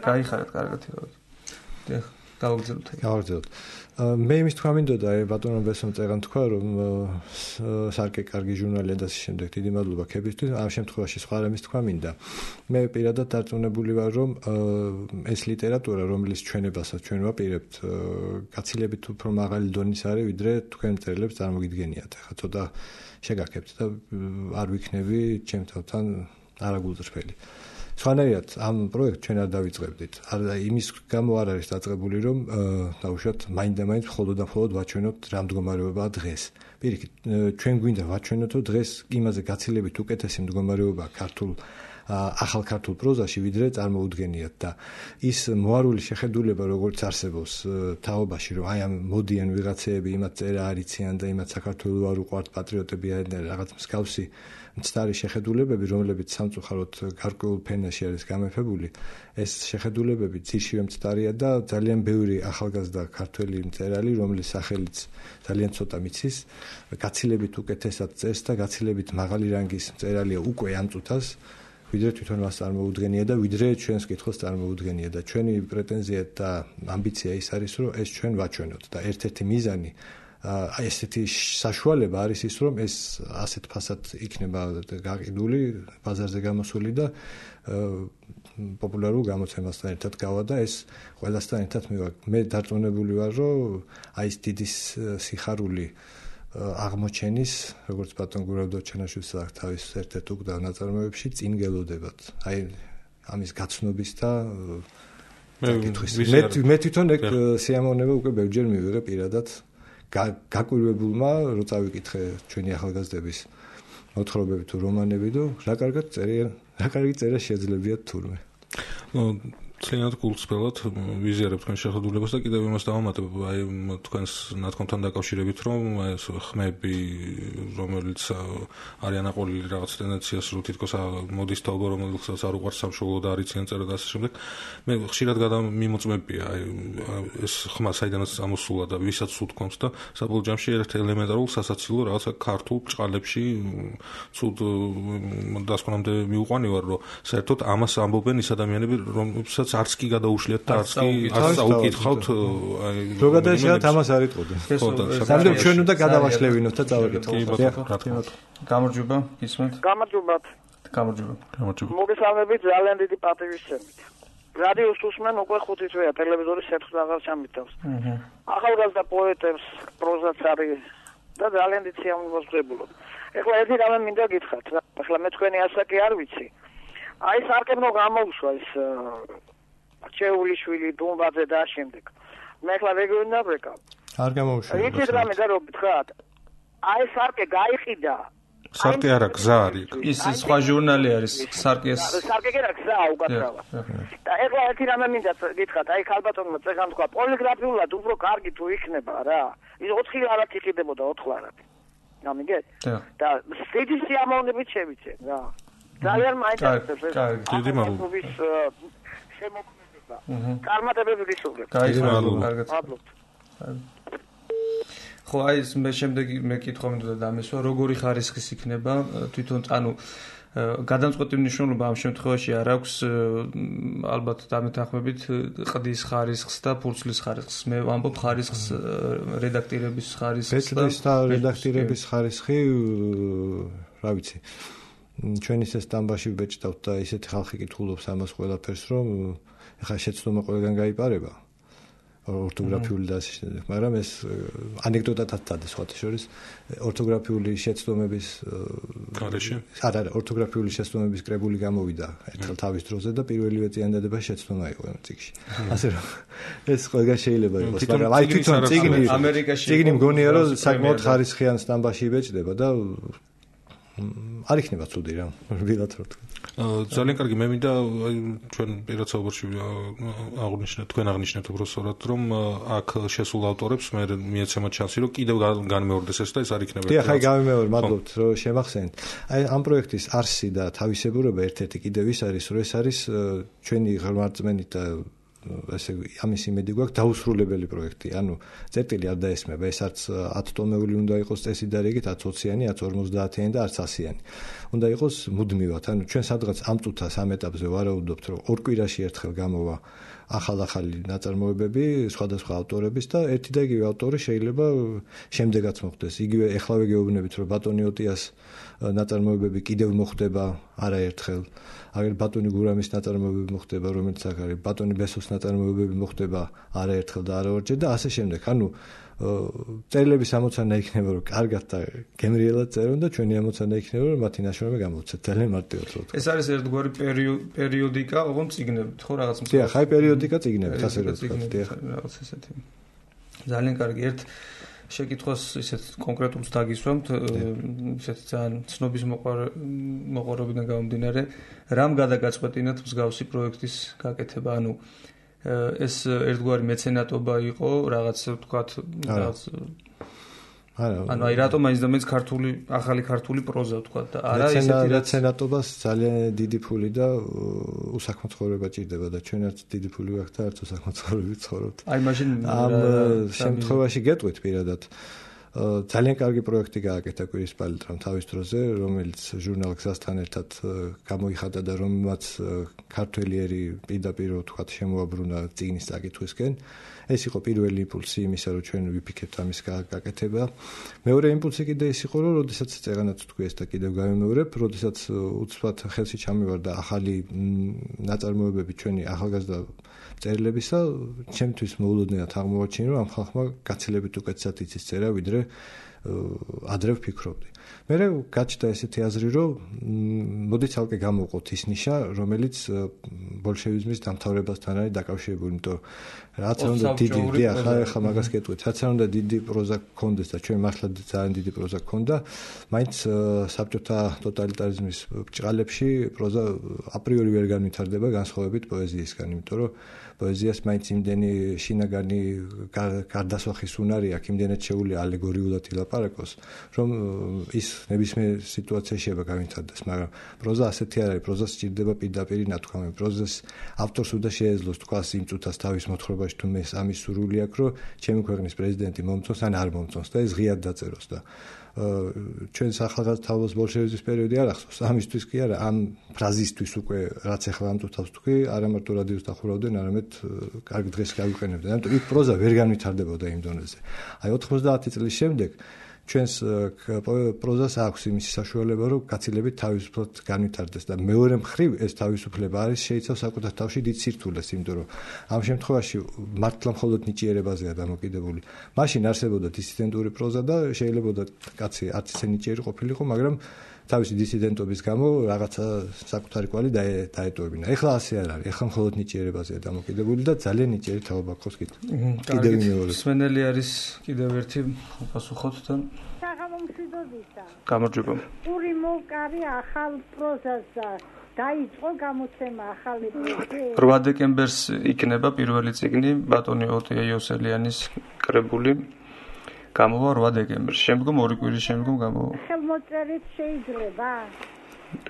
გაიხარეთ კარგად იღავთ გავაგზავნოთ მე იმის თქვა მინდოდა ბატონო ბესომ წეგან თქვა რომ სარკე კარგი ჟურნალია და ამ შემდეგ დიდი მადლობა ქებისთვის ამ შემთხვევაში სხვა რამის თქვა მინდა მე პირადად დარწმუნებული ვარ რომ ეს ლიტერატურა რომლის ჩვენებასაც ჩვენ ვაპირებთ გაცილებით უფრო მაღალი დონის არის ვიდრე თქვენ მწერლებს წარმოგიდგენიათ ახლა ცოტა შეგაქებთ და არ ვიქნები ჩემ თავთან არაგულწრფელი სხვანაირად ამ პროექტს ჩვენ არ დავიწყებდით. იმის გამო არ არის დაწყებული, რომ დავუშვათ მაინდა-მაინც მხოლოდ და მხოლოდ ვაჩვენოთ რა მდგომარეობაა დღეს. პირიქით, ჩვენ გვინდა ვაჩვენოთ, რომ დღეს იმაზე გაცილებით უკეთესი მდგომარეობაა ახალ ქართულ პროზაში, ვიდრე წარმოუდგენიათ და ის მოარული შეხედულება, როგორც არსებობს თაობაში, რომ აი ამ მოდიან ვიღაცეები, იმათ წერა არიციან და იმათ საქართველოს არ უყვართ პატრიოტები და რაღაც მსგავსი მცდარი შეხედულებები, რომლებიც სამწუხაროდ გარკვეულ ფენაში არის გამეფებული, ეს შეხედულებები ძირშივე მცდარია და ძალიან ბევრი ახალგაზრდა ქართველი მწერალი, რომლის სახელიც ძალიან ცოტა მიცის, გაცილებით უკეთესად წერს და გაცილებით მაღალი რანგის მწერალია უკვე ამ წუთას, ვიდრე თვითონ მას წარმოუდგენია და ვიდრე ჩვენს კითხვას წარმოუდგენია და ჩვენი პრეტენზია და ამბიცია ის არის, რომ ეს ჩვენ ვაჩვენოთ და ერთ-ერთი მიზანი აი ესეთი საშუალება არის ის რომ ეს ასეთ ფასად იქნება გაყიდული ბაზარზე გამოსული და პოპულარულ გამოცემასთან ერთად გავა და ეს ყველასთან ერთად მე დარწმუნებული ვარ რომ აი ეს დიდი სიხარული აღმოჩენის როგორც ბატონ გურავდოჩენაშვილს აქვს თავის ერთ-ერთ უკდავ ნაწარმოებში წინ გელოდებათ აი ამის გაცნობის და მე თვითონ ეგ სიამოვნება უკვე ბევრჯერ მივიღე პირადად გაკვირვებულმა რო წავიკითხე ჩვენი ახალგაზრდების მოთხრობები თუ რომანები და რა კარგი წერა შეძლებიათ თურმე ძალიან გულწრფელად ვიზიარებ თქვენ შეხედულებას და კიდევ იმას დავამატებ აი თქვენს ნათქვამთან დაკავშირებით რომ აი ეს ხმები რომელიც არიან აყოლილი რაღაც ტენდენციას რო თითქოს მოდის თაობა რომელსაც არ უყვარს სამშობლო და არიციან წერა და ასე შემდეგ მე ხშირად გადამიმოწმებია აი ეს ხმა საიდანაც ამოსულა და ვისაც უთქვამს და საბოლოო ჯამში ერთ ელემენტარულ სასაცილო რაღაცა ქართულ ჭყალებში ცუდ დასკვნამდე მიუყვანი ვარ რომ საერთოდ ამას ამბობენ ის ადამიანები რომელსაც არც კი გადაუშლიათ და არც წაუკითხავთ აი რო გადაიშალოთ ამას არ იტყოდი სამდენ ჩვენ უნდა გადავაშლევინოთ და წავაკითხოთ გამარჯობა ისმენთ გამარჯობა მოგესალმებით ძალიან დიდი პატივისცემით რადიოს უსმენ უკვე 5 თვეა ტელევიზორის საერთოდ აღარ ჩამიტევს ახალგაზრდა პოეტებს პროზაც არის და ძალიან დიდი სიამოვნებას ვღებულობ ეხლა ერთი რამე მინდა გითხრათ ეხლა მე თქვენი ასაკი არ ვიცი აი სარკემნო გამოუშვა ის ჩეულიშვილი დუმბაძე და შემდეგ მე ახლა რეგიონიდან ვეკავ არ გამოუშვა ის რამე და რო გითხრათ აი სარკე გაიყიდა სარკე არა გზა არის ის სხვა ჟურნალი არის სარკე კი რა გზა უკაცრავად და ახლა ერთი რამე მინდა გითხრათ აი ქალბატონმა წეგან თქვა პოლიგრაფიულად უფრო კარგი თუ იქნება რა ის 4 არათი იყიდებოდა 4 არათი გამიგეთ და დიდი სიამოვნებით შევიცე რა ძალიან მაინტერესებს ეს დიდი მადლობა შემოქმედება. Კარმატებები ვისურვებ. კარგად. ხო, აი ეს მე შემდეგი კითხვა მინდოდა დამესვა, როგორი ხარისხის იქნება თვითონ, ანუ გადამწყვეტი მნიშვნელობა ამ შემთხვევაში არ აქვს ალბათ დამეთანხმებით ყდის ხარისხს და ფურცლის ხარისხს. მე ვამბობ ხარისხს რედაქტირების ხარისხს და რედაქტირების ხარისხი, რა ვიცი. ჩვენ ისე სტამბაში ვბეჭდავთ და ისეთი ხალხი კითხულობს ამას ყველაფერს, რომ ეხლა შეცდომა ყველგან გაიპარება. ორთოგრაფიული და ასე შემდეგ, მაგრამ ეს ანეკდოტათაც დადეს სხვათა შორის ორთოგრაფიული შეცდომების არა, ორთოგრაფიული შეცდომების კრებული გამოვიდა ერთხელ თავის დროზე და პირველივე წინადადება შეცდომა იყო ამ წიგნში. ასე რომ ეს ყველგან შეიძლება იყოს, მაგრამ აი თვითონ წიგნი მგონია რომ საკმაოდ ხარისხიან სტამბაში იბეჭდება და არ იქნება ცუდი რა, ვიღაც რო თქვა. ძალიან კარგი, მე მინდა ჩვენ პირად საუბარში აღნიშნეთ, თქვენ აღნიშნეთ უბრალოდ რომ აქ შესულ ავტორებს მე მიეცემათ შანსი რომ კიდევ განმეორდეს ეს და ეს არ იქნება. დიახ, აი გამიმეორე, მადლობთ რომ შემახსენეთ. აი ამ პროექტის არსი და თავისებურება ერთ-ერთი კიდევ ის არის, რომ ეს არის ჩვენი ღრმარწმენით და ესე ამის იმედი გვაქვს დაუსრულებელი პროექტი. ანუ წერტილი არ დაესმება, ეს არც 10 ტომეული უნდა იყოს წესიდარიგით, 10 20-იანი, 50-იანი და არც 100-იანი. უნდა იყოს მუდმივად. ანუ ჩვენ სადღაც ამ წუთას ამ ეტაპზე ვარაუდობთ, რომ ორ კვირაში ერთხელ გამოვა ახალ-ახალი ნაწარმოებები სხვადასხვა ავტორების და ერთი და იგივე ავტორი შეიძლება შემდეგაც მოხდეს. იგივე ეხლავე გეუბნებით, რომ ბატონი ოტიას ნაწარმოებები კიდევ მოხდება არაერთხელ. აგერ ბატონი გურამის ნაწარმოებები მოხდება, რომელიც აქ არის, ბატონი ბესოს ნაწარმოებები მოხდება არაერთხელ და არაორჯერ და ასე შემდეგ. ანუ წერილების ამოცანა იქნება, რომ კარგად და გემრიელად წერონ და ჩვენი ამოცანა იქნება, რომ მათი ნაშრომი გამოვცეთ. ძალიან მარტივად რო. ეს არის ერთგვარი პერიოდიკა, ოღონდ წიგნებით, ხო რაღაც მსგავსი. დიახ, აი პერიოდიკა წიგნებით, ასე რო ვთქვათ, დიახ. რაღაც ესეთი. ძალიან კარგი. ერთ შეკითხვას ისეთ კონკრეტულს დაგისვამთ, ისეთ ძალიან ცნობის მოყვარებიდან გამომდინარე, რამ გადაგაწყვეტინათ მსგავსი პროექტის გაკეთება, ანუ ეს ერთგვარი მეცენატობა იყო, რაღაც ვთქვათ, რაღაც ანუ აი რატომ მაინც და მაინც ქართული, ახალი ქართული პროზა ვთქვათ და არა ისეთი მეცენატობას ძალიან დიდი ფული და უსაქმო ცხოვრება ჭირდება და ჩვენაც დიდი ფული გვაქვს და არც უსაქმო ცხოვრებით ცხოვრობთ. აი მაშინ ამ შემთხვევაში გეტყვით პირადად ძალიან კარგი პროექტი გააკეთა კვირისპალიტრამ თავის დროზე, რომელიც ჟურნალ გზასთან ერთად გამოიხატა და რომელმაც ქართველიერი პირდაპირ ვთქვათ შემოაბრუნა წიგნის წაკითხვისკენ. ეს იყო პირველი იმპულსი იმისა, რომ ჩვენ ვიფიქრებთ ამის გაკეთება. მეორე იმპულსი კიდე ის იყო, რომ როდესაც წეგანაც თქვი ეს და კიდევ გამემეორებ, როდესაც უცბად ხელში ჩამივარდა ახალი ნაწარმოებები ჩვენი ახალგაზრდა წერილებისა, ჩემთვის მოულოდნელად აღმოაჩინა, რომ ამ ხალხმა გაცილებით უკეთესად იცის წერა, ვიდრე ადრე ვფიქრობდი. მე გაჩნდა ესეთი აზრი, რომ მოდი ცალკე გამოვყოთ ის ნიშა, რომელიც ბოლშევიზმის დამთავრებასთან არის დაკავშირებული, იმიტომ რომ რაც არ უნდა დიდი, ახლა მაგას გეტყვით, რაც არ უნდა დიდი პროზა გქონდეს და ჩვენ მართლა ძალიან დიდი პროზა გქონდა, მაინც საბჭოთა ტოტალიტარიზმის ბრჭყალებში პროზა აპრიორი ვერ განვითარდება განსხვავებით პოეზიისგან, იმიტომ რომ პოეზიას მაინც იმდენი შინაგანი გარდასვახის უნარი აქვს, იმდენად შეუძლია ალეგორიულად ილაპარაკოს, რომ ის ნებისმიერ სიტუაციაში შეიძლება განვითარდეს, მაგრამ პროზა ასეთი არ არის, პროზას სჭირდება პირდაპირი ნათქვამი. პროზას ავტორს უნდა შეეძლოს თქვას იმ წუთას თავის მოთხრობაში თუ მე ამის სურვილი აქვს, რომ ჩემი ქვეყნის პრეზიდენტი მომწონს ან არ მომწონს და ეს ღიად დაწეროს და ჩვენ ახალგაზრდობის ბოლშევიზმის პერიოდი არ ახსოვს, ამისთვის კი არა, ამ ფრაზისთვის უკვე რაც ახლა ამ წუთას თქვი, არა მარტო რადიოს დახურავდნენ, არამედ კარგ დღეს გავიყენებდნენ. ამიტომ იქ პროზა ვერ განვითარდებოდა იმ დონეზე. აი 90 წლის შემდეგ ჩვენს პროზას აქვს იმისი საშუალება, რომ გაცილებით თავისუფლად განვითარდეს და მეორე მხრივ ეს თავისუფლება არის შეიცავს საკუთარ თავში დიდ სირთულეს, იმიტომ რომ ამ შემთხვევაში მართლა მხოლოდ ნიჭიერებაზეა დამოკიდებული. მაშინ არსებობდა დისიდენტური პროზა და შეიძლება კაცი არც ისე ნიჭიერი ყოფილიყო, მაგრამ თავისი დისიდენტობის გამო რაღაცა საკუთარი კვალი დაეტოვებინა. ეხლა ასე არ არის. ეხლა მხოლოდ ნიჭიერებაზეა დამოკიდებული და ძალიან ნიჭიერი თაობა გქოს კიდევ მეორე. სვენელი არის კიდევ ერთი პასუხოთ და საღამომშვიდობისა. გამარჯობა. პური მოვკარი ახალ პროზას დაიწყო გამოცემა ახალი პროექტი. 8 დეკემბერს იქნება პირველი წიგნი ბატონი ოტია იოსელიანის კრებული. გამოვა 8 დეკემბერს. შემდგომ 2 კვირის შემდგომ გამოვა. ხელმოწერით შეიძლება?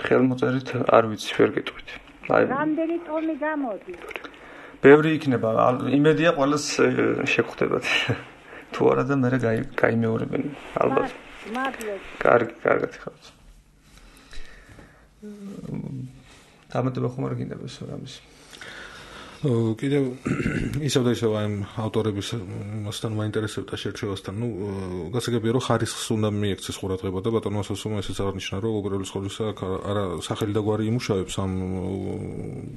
ხელმოწერით არ ვიცი, ვერ გეტყვით. აი რამდენი ტომი გამოდის? ბევრი იქნება. იმედია ყველას შეგხვდებათ. თუ არა და მე გაიმეორებენ ალბათ. მადლობთ. კარგად ხართ. დამატება ხომ არ გინდა ეს რამის. კიდევ ისევ და ისევ ამ ავტორების მასთან მაინტერესებდა შერჩევასთან. გასაგებია რომ ხარისხს უნდა მიექცეს ყურადღება და ბატონო მასალსუმმა ესეც აღნიშნა რომ უპირველეს ყოვლისა არა სახელი და გვარი იმუშავებს ამ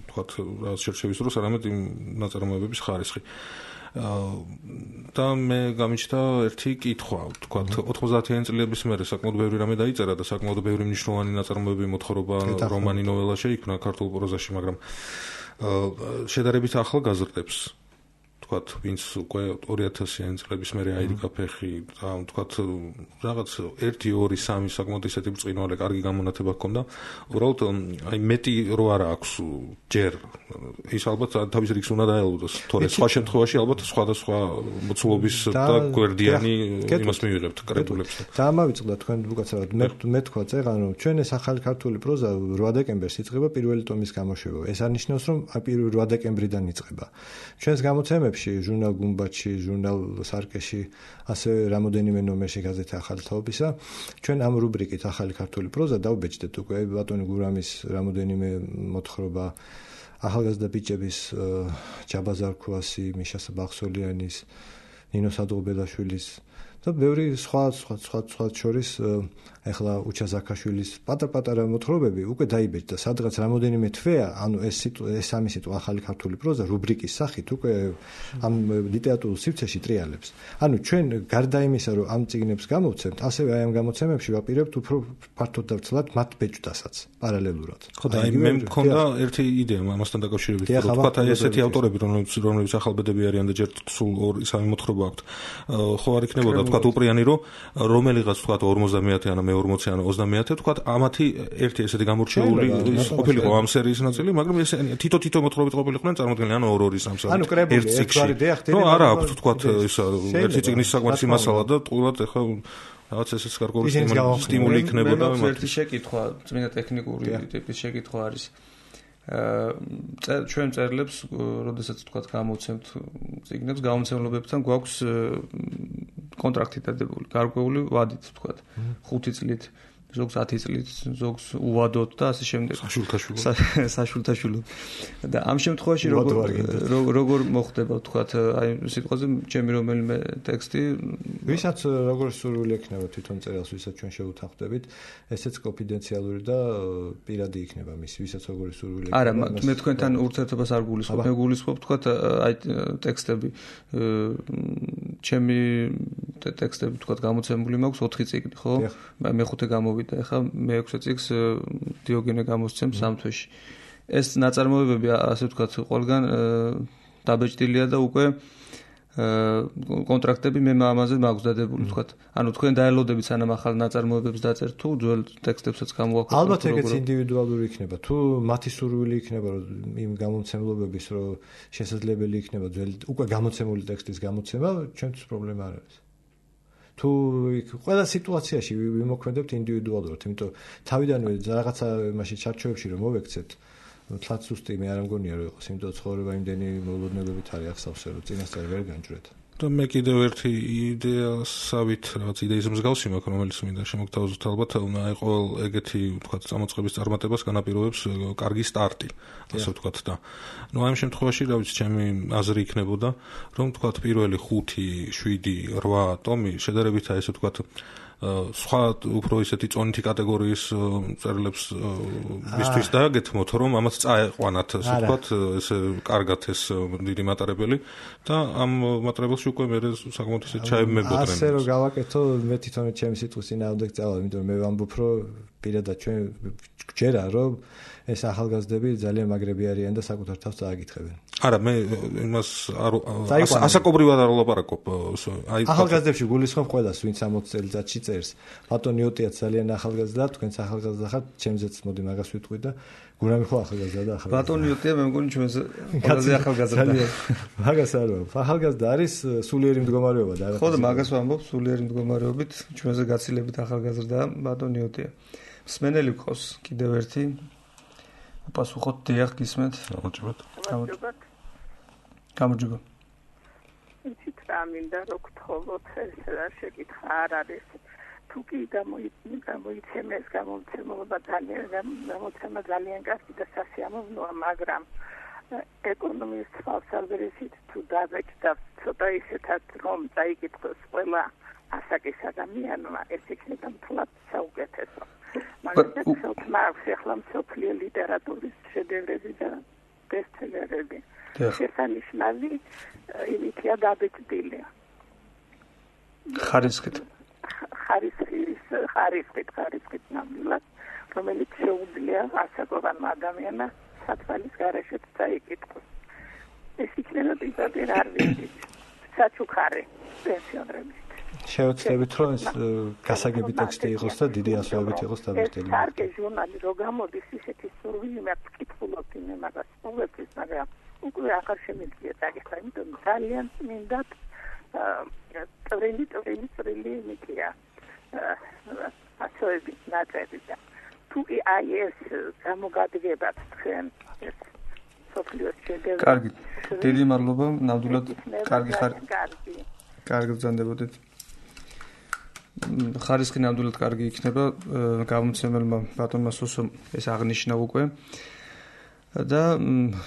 თქვათ რაღაც შერჩევის დროს, არამედ იმ ნაწარმოებების ხარისხი. და მე გამიჩნდა ერთი კითხვა, თქვათ 90-იანი წლების მერე საკმაოდ ბევრი რამე დაიწერა და საკმაოდ ბევრი მნიშვნელოვანი ნაწარმოები მოთხრობა რომანი ნოველა შეიქმნა ქართულ პროზაში, მაგრამ შედარებით ახალგაზრდებს თქვათ ვინც უკვე 2000-იანი წლების მერე აირიგა ფეხი და თქვათ რაღაც 1 2 3 საკმაოდ ისეთი ბრწყინვალე კარგი გამონათება ჰქონდა უბრალოდ აი მეტი რო არა აქვს ჯერ ის ალბათ თავის რიგს უნდა დაელოდოს თორე სხვა შემთხვევაში ალბათ სხვადასხვა მოცულობის და გვერდიანი იმას მივიღებთ კრებულებს და ამავიწყდა თქვენ უკაცრავად მე თქვა წეღან რომ ჩვენ ეს ახალი ქართული პროზა 8 დეკემბერს იწყება პირველი ტომის გამოშვება ეს არნიშნავს რომ 8 დეკემბრიდან იწყება ჩვენს გამოცემებში ჟურნალ გუმბათში ჟურნალ სარკეში ასევე რამოდენიმე ნომერში გაზეთი ახალი თაობისა ჩვენ ამ რუბრიკით ახალი ქართული პროზა დავბეჭდეთ უკვე ბატონი გურამის რამოდენიმე მოთხრობა ახალგაზრდა ბიჭების ჯაბა ზარქუასი მიშა ბახსოლიანის ნინო სადღობელაშვილის და ბევრი სხვა შორის ეხლა უჩა ზაქაშვილის პატარ-პატარა მოთხრობები უკვე დაიბეჭდა სადღაც რამოდენიმე თვეა ანუ ეს სამი სიტყვა ახალი ქართული პროზა რუბრიკის სახით უკვე ამ ლიტერატურულ სივრცეში ტრიალებს ანუ ჩვენ გარდა იმისა რომ ამ წიგნებს გამოვცემთ ასევე აი ამ გამოცემებში ვაპირებთ უფრო ფართოდ და ცლად მათ ბეჭდასაც პარალელურად ხო და მე მქონდა ერთი იდეა ამასთან დაკავშირებით რომ თქვა აი ესეთი ავტორები რომლებიც ახალბედები არიან და ჯერ სულ სამი მოთხრობა აქვთ ხო არ იქნებოდა თქვა უპრიანი რომ რომელიღაც თქვა 50-იანი ან მე-40-იანი 30-იანი თქვა ამათი ერთი ესეთი გამორჩეული ყოფილიყო ამ სერიის ნაწილი მაგრამ ეს თითო მოთხრობით ყოფილიყვნენ წარმოქმნილი ანუ 2-3 ანუ კრებული ერთგვარი დიახ ნუ არა აქვს თქვა ის ერთი წიგნის საკმარისი მასალა და ტყუილად ეხლა რაღაც ესეც გარკვეული სტიმული იქნებოდა მე ერთი შეკითხვა წმინდა ტექნიკური ტიპის შეკითხვა არის ჩვენ წერლებს როდესაც თქვა გამოვცემთ წიგნებს გამომცემლებებთან გვაქვს კონტრაქტი დადებული გარკვეული ვადით თქვა 5 წლით ზოგს 10 წლით ზოგს უვადოთ და ასე შემდეგ საშულთაშვილოდ და ამ შემთხვევაში როგორ მოხდება თქვა აი სიტყვაზე ჩემი რომელიმე ტექსტი ვისაც როგორ სურვილი ექნება თვითონ წერილს ვისაც ჩვენ შევუთანხმდებით ესეც კონფიდენციალური და პირადი იქნება მის ვისაც როგორი სურვილი ექნება არა მე თქვენთან ურთიერთობას არ გულისხმობ მე გულისხმობ თქვა აი ტექსტები ჩემი ტექსტები თქვა გამოცემული მაქვს 4 წიგნი ხო მე-5 გამოვიდა ეხლა მე-6 წიგნს დიოგენე გამოსცემს ამ თვეში ეს ნაწარმოებები ასე ვთქვათ ყველგან დაბეჭდილია და უკვე კონტრაქტები მე ამაზე მაქვს დადებული ვთქვათ ანუ თქვენ დაელოდებით სანამ ახალ ნაწარმოებებს დაწერთ თუ ძველ ტექსტებსაც გამოვაქვთ ალბათ ეგეც ინდივიდუალური იქნება თუ მათი სურვილი იქნება რომ იმ გამოცემლობების რომ შესაძლებელი იქნება ძველი უკვე გამოცემული ტექსტის გამოცემა ჩვენთვის პრობლემა არ არის თუ ყველა სიტუაციაში ვიმოქმედებთ ინდივიდუალურად იმიტომ თავიდანვე რაღაცა იმაში ჩარჩოებში რომ მოვექცეთ თლაც უსტი მე არ მგონია რომ იყოს იმიტომ ცხოვრება იმდენი მოლოდნელობით არის ახსავსე რომ წინასწარ ვერ განჯვრეთ და მე კიდევ ერთი იდეასავით რაღაც იდეის მსგავსი მაქვს რომელიც მინდა შემოგთავაზოთ ალბათ აი ყოველ ეგეთი ვთქვათ წამოწყების წარმატებას განაპირობებს კარგი სტარტი ასე ვთქვათ და ნუ ამ შემთხვევაში რა ვიცი ჩემი აზრი იქნებოდა რომ ვთქვათ პირველი 5 7 8 ტომი შედარებითაა ესე ვთქვათ სხვა უფრო ისეთი წონითი კატეგორიის წერილებს მისთვის დააგეთმოთ რომ ამას წაეყვანათ ასე ვთქვათ ესე კარგად ეს დიდი მატარებელი და ამ მატარებელში უკვე მე საკმაოდ ისე ჩაემებოდნენ ასე რომ გავაკეთო მე თვითონ ჩემი სიტყვის წინააღმდეგ წავალ იმიტომ მე ვამბობ რომ პირადად ჩვენ გჯერა რომ ეს ახალგაზრდები ძალიან მაგრები არიან და საკუთარ თავს წააგითხებენ. არა, მე იმას ასაკობრივად არ ვლაპარაკობ. აი ახალგაზრდებში გულისხმობ ყველას, ვინც 60 წელიწადში წერს. ბატონი ოტიაც ძალიან ახალგაზრდა, თქვენც ახალგაზრდა ხართ, ჩემზეც მოდი მაგას ვიტყვი და გურამი ხო ახალგაზრდა და ახალგაზრდა. ბატონი ოტია მე მგონი ჩვენს ყველაზე ახალგაზრდა. მაგას არ ვამბობ. ახალგაზრდა არის სულიერი მდგომარეობა და ხო და მაგას ვამბობ სულიერი მდგომარეობით ჩვენზე გაცილებით ახალგაზრდა ბატონი ოტია. მსმენელი გყავს კიდევ ერთი პასუხოთ დიახ გისმენთ. გამარჯობათ. გამარჯობა. იცით რა მინდა რო გთხოვოთ ეს რა შეკითხა არ არის თუ კი გამოიცემეს გამოცემულობა ძალიან კარგი და სასიამოვნოა მაგრამ ეკონომიის თვალსაზრისით თუ დაგეჭდათ ცოტა ისეთად რომ წაიკითხოს ყველა ასაკის ადამიანმა ეს იქნება მთლად საუკეთესო მაგრამ ახლა მსოფლიო ლიტერატურის შედევრები და ბესტსელერები შესანიშნავი იმითია დაბეჭდილი ხარისხით ნამდვილად რომელიც შეუძლია ასაკოვანმა ადამიანმა სათვალის გარეშეც წაიკითხოს ეს იქნება პირდაპირ არ ვიცით საჩუქარი პენსიონერების შევეცდებით რომ ეს გასაგები ტექსტი იყოს და დიდი ასოებით იყოს დაბეჭდილი. კარგი ჟურნალი რო გამოდის ისეთი სურვილი მაქვს კითხულობ იმ მაგას ყოველთვის მაგრამ უკვე აღარ შემიძლია დაგეხლა იმიტომ ძალიან მინდათ წვრილი მიქია ასოებით ნაწერი და თუ აი ეს გამოგადგებათ თქვენ ეს სოფლიოს შედევრი კარგი დიდი მადლობა ნამდვილად კარგი ხარ კარგი ბრძანდებოდეთ ხარისხი ნამდვილად კარგი იქნება გამომცემელმა ბატონმა სოსომ ეს აღნიშნა უკვე და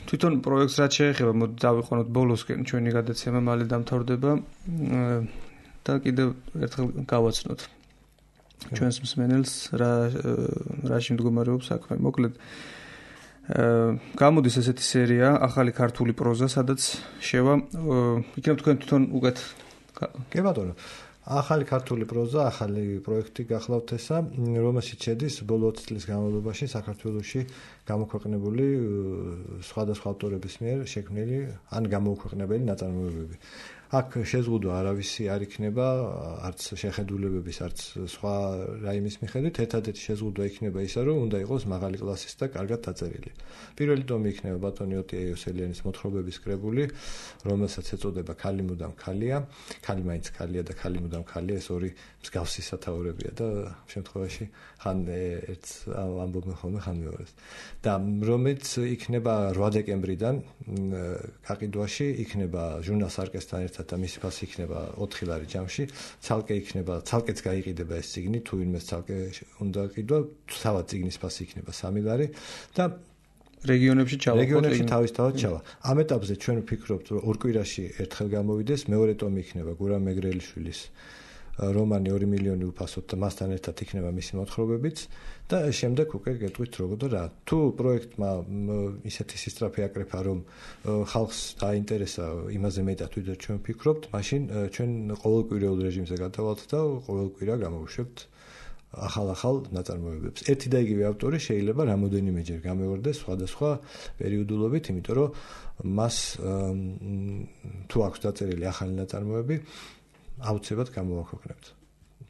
თვითონ პროექტს რაც შეეხება მოდი დავიყვანოთ ბოლოსკენ ჩვენი გადაცემა მალე დამთავრდება და კიდევ ერთხელ გავაცნოთ ჩვენს მსმენელს რაში მდგომარეობს საქმე მოკლედ გამოდის ესეთი სერია ახალი ქართული პროზა სადაც შევა იქნებ თქვენ თვითონ უკეთ კი ბატონო ახალი ქართული პროზა, ახალი პროექტი გახლავთ ესა, რომელშიც შედის ბოლო 20 წლის განმავლობაში საქართველოში გამოქვეყნებული სხვადასხვა ავტორების მიერ შექმნილი ან გამოუქვეყნებელი ნაწარმოებები. აქ შეზღუდვა არავისი არ იქნება, არც შეხედულებების, არც სხვა რაიმის მიხედვით, ერთადერთი შეზღუდვა იქნება ისა, რომ უნდა იყოს მაღალი კლასის და კარგად დაწერილი. პირველი ტომი იქნება ბატონი ოტია იოსელიანის მოთხრობების კრებული, რომელსაც ეწოდება ქალი მუდამ ქალია, ქალი მაინც ქალია და ქალი მუდამ ქალია, ეს ორი მსგავსი სათაურებია და შემთხვევაში ხან ერთს ამბობენ ხოლმე, ხან მეორეს. და რომელიც იქნება 8 დეკემბრიდან გაყიდვაში, იქნება ჟურნალ სარკესთან ერთად და მისი ფასი იქნება 4 ლარი ჯამში, ცალკეც გაიყიდება ეს წიგნი, თუ ვინმეს ცალკე უნდა ყიდვა, თავად წიგნის ფასი იქნება 3 ლარი და რეგიონებში თავისთავად ჩავა. ამ ეტაპზე ჩვენ ვფიქრობთ, რომ ორ კვირაში ერთხელ გამოვიდეს, მეორე ტომი იქნება გურამ მეგრელიშვილის რომანი 2 მილიონი უფასოდ და მასთან ერთად იქნება მისი მოთხრობებიც და შემდეგ უკვე გეტყვით როგორ და რა. თუ პროექტმა ისეთი სისწრაფე აკრეფა, რომ ხალხს დაინტერესა იმაზე მეტად ვიდრე ჩვენ ვფიქრობთ, მაშინ ჩვენ ყოველკვირეულ რეჟიმზე გადავალთ და ყოველკვირა გამოვუშვებთ ახალ ნაწარმოებებს. ერთი და იგივე ავტორი შეიძლება რამოდენიმეჯერ გამეორდეს სხვადასხვა პერიოდულობით, იმიტომ რომ მას თუ აქვს დაწერილი ახალი ნაწარმოები აუცილებლად გამოვაქვეყნებთ.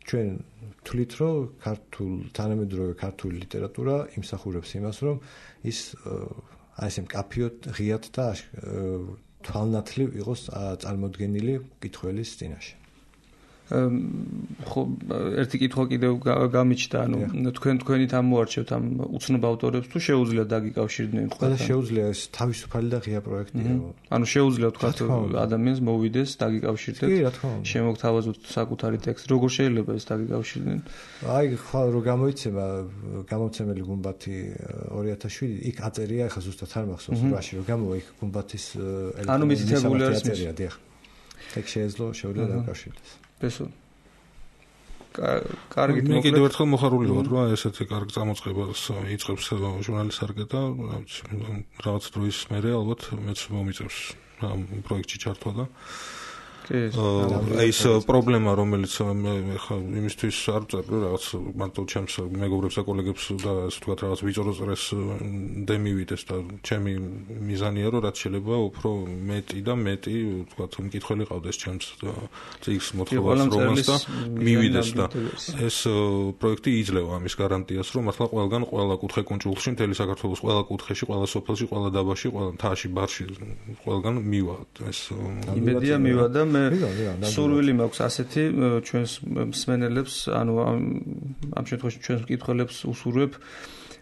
ჩვენ თვლით, რომ თანამედროვე ქართული ლიტერატურა იმსახურებს იმას, რომ ის აი ესე მკაფიოდ ღიად და თვალნათლივ იყოს წარმოდგენილი კითხველის წინაშე. ხო ერთი კითხვა კიდევ გამიჩნდა, ანუ თქვენით ამოარჩევთ ამ უცნობ ავტორებს თუ შეუძლია დაგიკავშირდნენ თქვენ? ყველა შეუძლია, ეს თავისუფალი და ღია პროექტია. ანუ შეუძლია თქვა ადამიანს მოვიდეს, დაგიკავშირდეთ, შემოგთავაზოთ საკუთარი ტექსტი, როგორ შეიძლება ეს დაგიკავშირდნენ? აი ხვალ რო გამოიცემა გამომცემელი გუმბათი 2007, იქ აწერია, ახლა ზუსტად არ მახსოვს, რაში რო გამოვა იქ გუმბათის ელემენტი. ანუ მითითებული არის აწერია, დიახ. ეგ შეუძლია დაკავშირდეს. ბესო. კარგი, მე კიდევ ერთხელ მოხარული ვარ, რომ ესეთი კარგი წამოწყებას იწყებს ჟურნალის სარკე და რაღაც დროის მერე ალბათ მეც მომიწევს ამ პროექტში ჩართვა და ეს პრობლემა, რომელიც მე ხა იმისთვის არ წერდი რაღაც მარტო ჩემს მეგობრებს და კოლეგებს და ასე ვთქვათ რაღაც ვიწრო წრეს დემივიდეს და ჩემი მიზანია რომ რაც შეიძლება უფრო მეტი და მეტი ვთქვათ მკითხველი ყავდეს ჩემს წიგს მოთხრობას რომანს და მივიდეს და ეს პროექტი იძლევა ამის გარანტიას რომ მართლა ყველგან ყველა კუთხე კუნძულში მთელი საქართველოს ყველა კუთხეში ყველა სოფელში ყველა დაბაში ყველა მთაში ბარში ყველგან მივა ეს იმედია მივა და მე სურვილი მაქვს ასეთი ჩვენს მსმენელებს, ანუ ამ შემთხვევაში ჩვენს მკითხველებს უსურვებ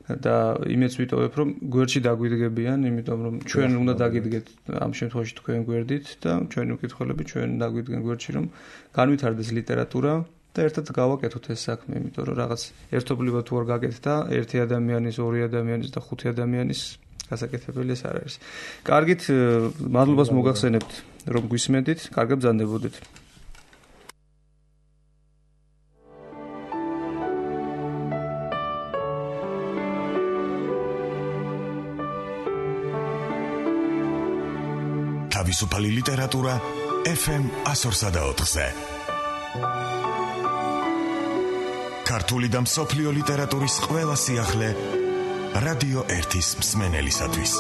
და იმეც ვიტოვებ, რომ გვერდში დაგვიდგებიან, იმიტომ რომ ჩვენ უნდა დაგიდგეთ ამ შემთხვევაში თქვენ გვერდით და ჩვენი მკითხველები ჩვენ დაგვიდგენ გვერდში, რომ განვითარდეს ლიტერატურა და ერთად გავაკეთოთ ეს საქმე, იმიტომ რომ რაღაც ერთობლივად თუ არ გაკეთდა ერთი ადამიანის, ორი ადამიანის და ხუთი ადამიანის გასაკეთებელი ეს არ არის. კარგით, მადლობას მოგახსენებთ, რომ გვისმენთ, კარგად ბრძანდებოდეთ. თავისუფალი ლიტერატურა FM 104.4-ზე. ქართული და მსოფლიო ლიტერატურის ყველა სიახლე რადიო 1-ის მსმენელისათვის.